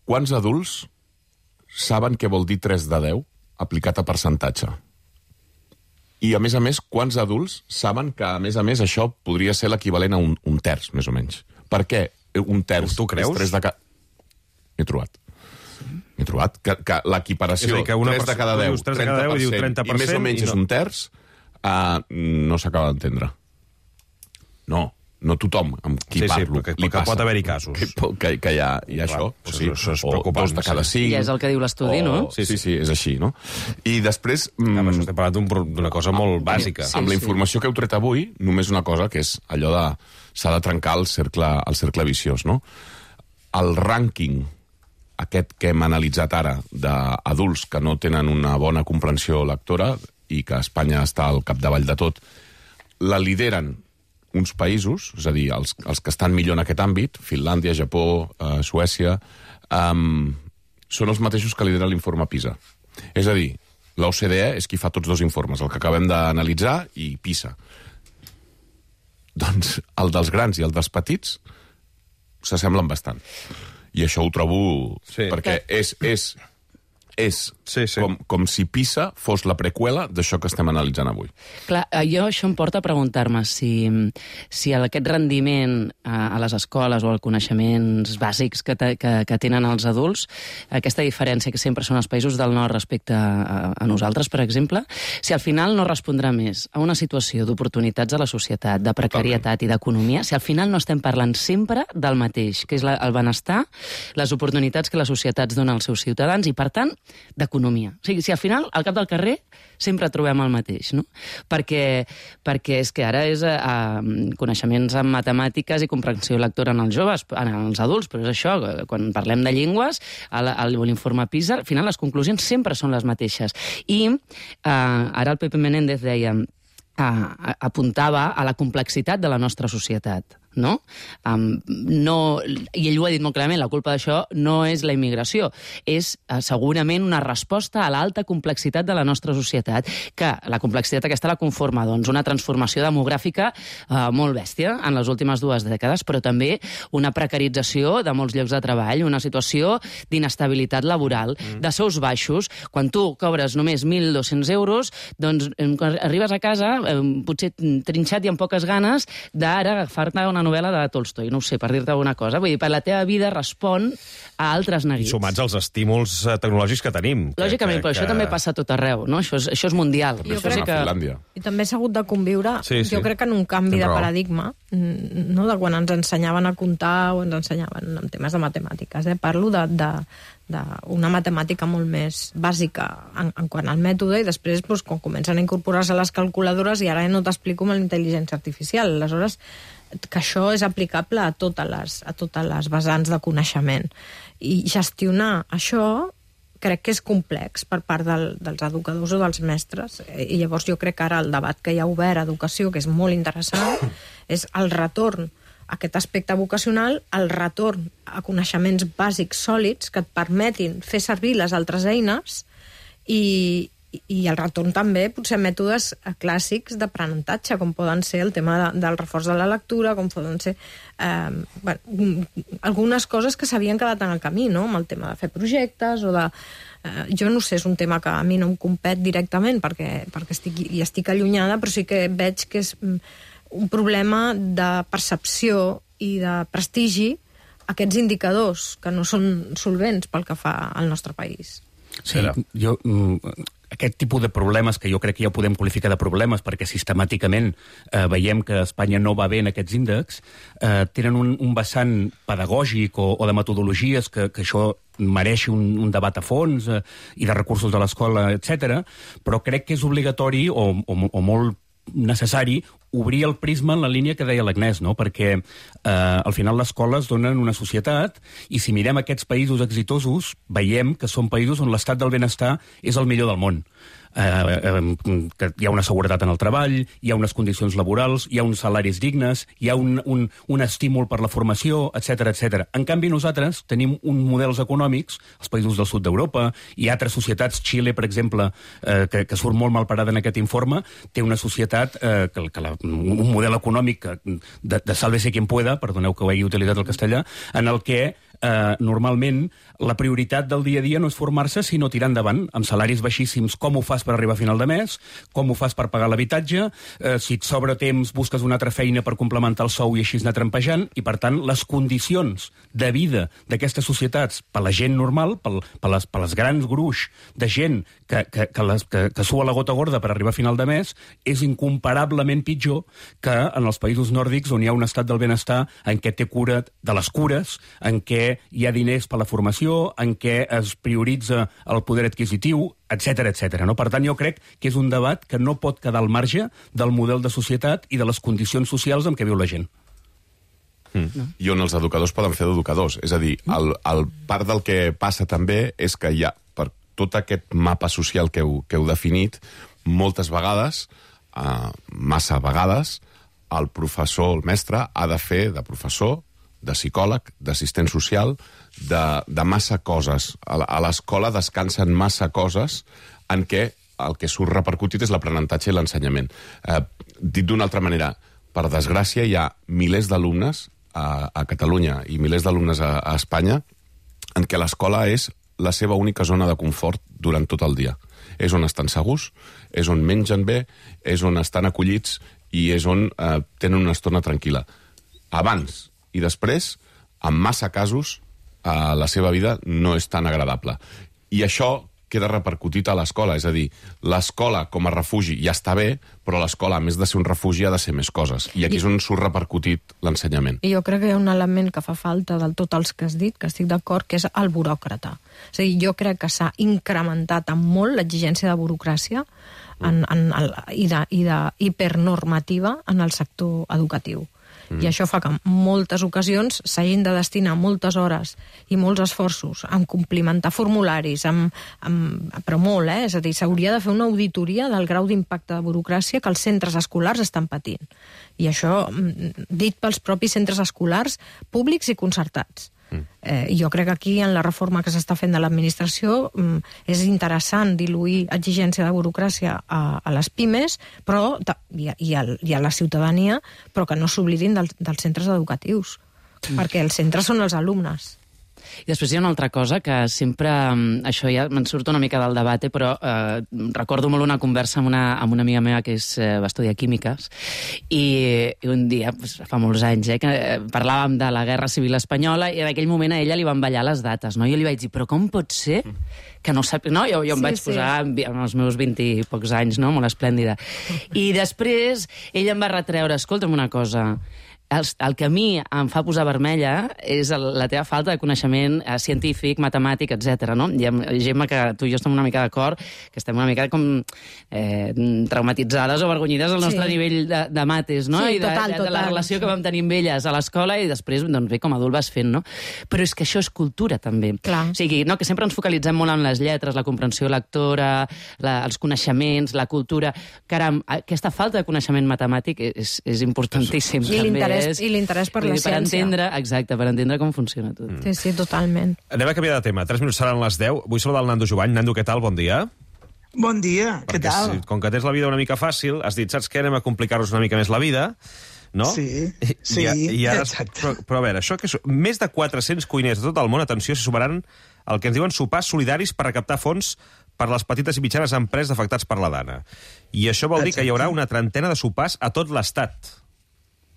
quants adults saben què vol dir 3 de 10 aplicat a percentatge? I, a més, quants adults saben que, a més, això podria ser l'equivalent a un terç, més o menys? Per què un terç? Tu creus? És 3 de... M'he trobat. M'he trobat que l'equiparació, 3 de cada 10, 30%, i més o menys és un terç, no s'acaba d'entendre. No tothom amb qui parlo li passa. Pot haver-hi casos. Que hi ha això. Això és preocupant. O 2 de cada 5. Ja és el que diu l'estudi, no? Sí, és així, no? I després... Això estem parlant d'una cosa molt bàsica. Amb la informació que heu tret avui, només una cosa, que és allò de... S'ha de trencar el cercle viciós, no? El rànquing aquest que hem analitzat ara d'adults que no tenen una bona comprensió lectora i que Espanya està al capdavall de tot, la lideren uns països, és a dir, els que estan millor en aquest àmbit, Finlàndia, Japó, Suècia, són els mateixos que lideren l'informe PISA. És a dir, l'OCDE és qui fa tots 2 informes, el que acabem d'analitzar i PISA. Doncs el dels grans i el dels petits s'assemblen bastant. I això ho trobo... perquè és com si PISA fos la preqüela d'això que estem analitzant avui. Clar, això em porta a preguntar-me si aquest rendiment a les escoles o els coneixements bàsics que tenen els adults, aquesta diferència que sempre són els països del nord respecte a nosaltres, per exemple, si al final no respondrà més a una situació d'oportunitats a la societat, de precarietat i d'economia, si al final no estem parlant sempre del mateix, que és el benestar, les oportunitats que les societats donen als seus ciutadans i, per tant, d'economia. O sigui, si al final, al cap del carrer, sempre trobem el mateix, no? Perquè és que ara és coneixements en matemàtiques i comprensió lectora en els joves, en els adults, però és això, quan parlem de llengües, a l'informe PISA, al final les conclusions sempre són les mateixes. I ara el Pepe Menéndez deia, apuntava a la complexitat de la nostra societat. No? I ell ho ha dit molt clarament, la culpa d'això no és la immigració, és segurament una resposta a l'alta complexitat de la nostra societat, que la complexitat aquesta la conforma una transformació demogràfica molt bèstia en les últimes 2 dècades, però també una precarització de molts llocs de treball, una situació d'inestabilitat laboral, de sous baixos. Quan tu cobres només 1.200 euros, doncs quan arribes a casa, potser trinxat i amb poques ganes d'ara agafar-te una novel·la de Tolstoi, no ho sé, per dir-te alguna cosa. Vull dir, per la teva vida respon a altres neguits. I sumats als estímuls tecnològics que tenim. Lògicament, però això també passa a tot arreu, no? Això és mundial. I també s'ha hagut de conviure, jo crec que en un canvi de paradigma, no de quan ens ensenyaven a comptar o ens ensenyaven en temes de matemàtiques. Parlo d'una matemàtica molt més bàsica en quant al mètode i després quan comencen a incorporar-se les calculadores i ara no t'explico amb la intel·ligència artificial. Aleshores, que això és aplicable a totes les vessants de coneixement. I gestionar això crec que és complex per part dels educadors o dels mestres. I llavors jo crec que ara el debat que hi ha obert a educació, que és molt interessant, és el retorn a aquest aspecte vocacional, el retorn a coneixements bàsics sòlids que et permetin fer servir les altres eines i el retorn també, potser, a mètodes clàssics d'aprenentatge, com poden ser el tema del reforç de la lectura, com poden ser algunes coses que s'havien quedat en el camí, no? Amb el tema de fer projectes o de... jo no sé, és un tema que a mi no em compet directament perquè estic allunyada, però sí que veig que és un problema de percepció i de prestigi aquests indicadors que no són solvents pel que fa al nostre país. Sí, aquest tipus de problemes, que jo crec que ja ho podem qualificar de problemes, perquè sistemàticament veiem que Espanya no va bé en aquests índexs, tenen un vessant pedagògic o de metodologies que això mereix un debat a fons i de recursos de l'escola, etc. Però crec que és obligatori o molt necessari obrir el prisma en la línia que deia l'Agnès, no? Perquè al final les escoles donen una societat i si mirem aquests països exitosos veiem que són països on l'estat del benestar és el millor del món. Que hi ha una seguretat en el treball, hi ha unes condicions laborals, hi ha uns salaris dignes, hi ha un estímul per la formació, etc etc. En canvi, nosaltres tenim uns models econòmics, els països del sud d'Europa, i altres societats, Xile, per exemple, que surt molt mal parada en aquest informe, té una societat, un model econòmic de sálvese quien pueda, perdoneu que ho hagi utilitzat el castellà, en el que normalment la prioritat del dia a dia no és formar-se, sinó tirar endavant, amb salaris baixíssims. Com ho fas per arribar a final de mes? Com ho fas per pagar l'habitatge? Si et sobra temps, busques una altra feina per complementar el sou i així anar trampejant. I, per tant, les condicions de vida d'aquestes societats per la gent normal, per les grans gruix de gent que sua la gota gorda per arribar a final de mes, és incomparablement pitjor que en els països nòrdics, on hi ha un estat del benestar en què té cura de les cures, en què hi ha diners per la formació, en què es prioritza el poder adquisitiu, etc. No? Per tant, jo crec que és un debat que no pot quedar al marge del model de societat i de les condicions socials amb què viu la gent. I on els educadors poden fer d'educadors. És a dir, el part del que passa també és que hi ha, per tot aquest mapa social que heu definit, moltes vegades, massa vegades, el professor, el mestre, ha de fer de professor, de psicòleg, d'assistent social, de massa coses. A l'escola descansen massa coses en què el que surt repercutit és l'aprenentatge i l'ensenyament. Dit d'una altra manera, per desgràcia, hi ha milers d'alumnes a Catalunya i milers d'alumnes a Espanya en què l'escola és la seva única zona de confort durant tot el dia. És on estan segurs, és on mengen bé, és on estan acollits i és on tenen una estona tranquil·la. Abans i després, en massa casos, la seva vida no és tan agradable. I això queda repercutit a l'escola, és a dir, l'escola com a refugi ja està bé, però l'escola, a més de ser un refugi, ha de ser més coses. I aquí és on surt repercutit l'ensenyament. I jo crec que hi ha un element que fa falta del tot els que has dit, que estic d'acord, que és el buròcrata. És a dir, jo crec que s'ha incrementat en molt l'exigència de burocràcia i d'hipernormativa en el sector educatiu. I això fa que en moltes ocasions s'hagin de destinar moltes hores i molts esforços en complimentar formularis, però molt, és a dir, s'hauria de fer una auditoria del grau d'impacte de burocràcia que els centres escolars estan patint. I això dit pels propis centres escolars públics i concertats. Jo crec que aquí, en la reforma que s'està fent de l'administració, és interessant diluir exigència de burocràcia a les pimes i a la ciutadania, però que no s'oblidin dels centres educatius, perquè els centres són els alumnes. I després hi ha una altra cosa que sempre, això ja me'n surt una mica del debat, però recordo molt una conversa amb una amiga meva que va estudiar químiques i un dia, fa molts anys, que parlàvem de la Guerra Civil Espanyola i en aquell moment a ella li van ballar les dates, no? Jo li vaig dir, però com pot ser que no sap... No? Jo em vaig posar amb els meus 20 i pocs anys, no? Molt esplèndida. I després ella em va retreure, escolta'm una cosa, el que a mi em fa posar vermella és la teva falta de coneixement científic, matemàtic, etc. No? I Gemma, que tu i jo estem una mica d'acord, que estem una mica com traumatitzades o avergonyides al nostre nivell de mates, no? Sí, I de la relació que vam tenir amb elles a l'escola i després, doncs bé, com a adult vas fent, no? Però és que això és cultura, també. Clar. O sigui, no, que sempre ens focalitzem molt en les lletres, la comprensió lectora, els coneixements, la cultura. Caram, aquesta falta de coneixement matemàtic és importantíssim. I l'interès per la ciència. Per entendre com funciona tot. Sí, totalment. Anem a canviar de tema. 3 minuts seran les 10. Vull saludar el Nando Jovany. Nando, què tal? Bon dia. Bon dia, què tal? Com que tens la vida una mica fàcil, has dit, saps què? Anem a complicar-nos una mica més la vida, no? Sí, I ara, exacte. Però a veure, això que més de 400 cuiners de tot el món, atenció, se sumaran el que ens diuen sopars solidaris per recaptar fons per les petites i mitjanes empreses afectats per la Dana. I això vol dir que hi haurà una trentena de sopars a tot l'Estat.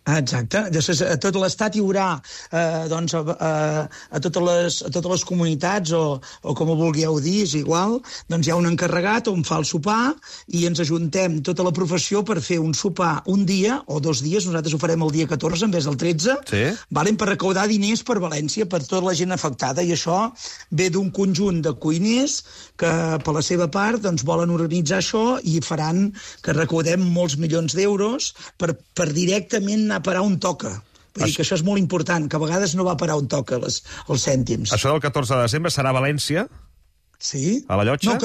Exacte. Llavors, a tot l'Estat hi haurà a totes les comunitats o com ho vulgueu dir, és igual, doncs hi ha un encarregat on fa el sopar i ens ajuntem tota la professió per fer un sopar un dia o 2 dies, nosaltres ho farem el dia 14 en vez del 13, per recaudar diners per València, per tota la gent afectada, i això ve d'un conjunt de cuiners que per la seva part doncs, volen organitzar això i faran que recaudem molts milions d'euros per directament a parar on toca. Vull dir que això és molt important, que a vegades no va parar on toca els cèntims. Això del 14 de desembre serà a València? Sí. A la Llotja? No,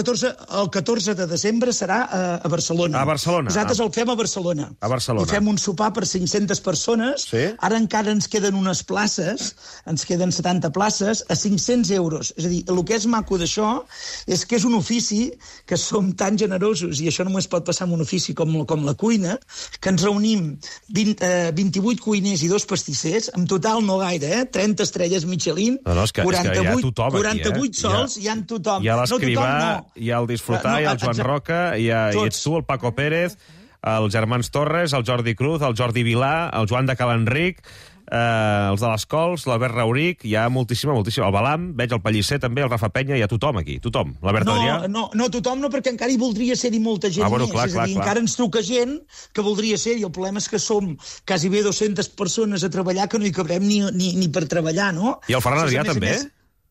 el 14 de desembre serà a Barcelona. A Barcelona. Nosaltres el fem a Barcelona. A Barcelona. I fem un sopar per 500 persones. Sí? Ara encara ens queden unes places, ens queden 70 places, a 500 euros. És a dir, el que és maco d'això és que és un ofici que som tan generosos, i això només pot passar en un ofici com la cuina, que ens reunim 28 cuiners i 2 pastissers, en total no gaire, 30 estrelles Michelin, No, és que hi ha tothom aquí, 48 sols, hi ha tothom. Hi ha l'Escrivà, no. hi ha el Disfrutar, hi ha el Joan Roca, hi ets tu, el Paco Pérez, els germans Torres, el Jordi Cruz, el Jordi Vilà, el Joan de Calenric, els de les Cols, l'Albert Rauric, hi ha moltíssima. El Balam, veig el Pellicer també, el Rafa Penya, hi ha tothom aquí, tothom. L'Albert Adrià... No, tothom no, perquè encara hi voldria ser-hi molta gent bueno, més. clar, És a dir, encara ens truca gent que voldria ser-hi. El problema és que som quasi bé 200 persones a treballar que no hi cabrem ni per treballar, no? I el Ferran Adrià també?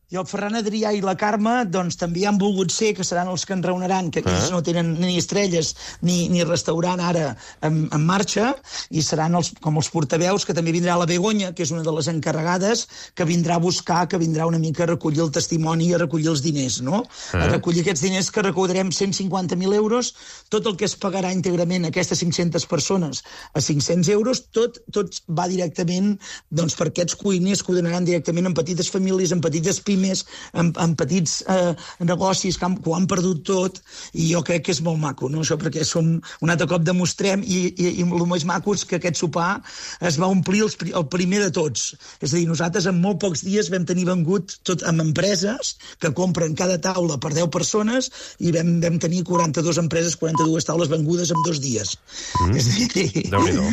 I el Ferran Adrià i la Carme doncs, també han volgut ser, que seran els que ens reuniran, que ells no tenen ni estrelles ni restaurant ara en marxa, i seran com els portaveus, que també vindrà la Begoña, que és una de les encarregades, que vindrà a buscar, que vindrà una mica a recollir el testimoni i a recollir els diners, no? A recollir aquests diners que recollarem 150.000 euros, tot el que es pagarà íntegrament a aquestes 500 persones a 500 euros, tot va directament doncs, per aquests cuiners que ho donaran directament en petites famílies, en petites pimes, en petits negocis que ho han perdut tot, i jo crec que és molt maco, no? Això perquè un altre cop demostrem, i el més maco és que aquest sopar es va omplir el primer de tots. És a dir, nosaltres en molt pocs dies vam tenir vengut tot amb empreses que compren cada taula per 10 persones, i vam tenir 42 empreses, 42 taules vengudes en 2 dies. És a dir... Déu-n'hi-do.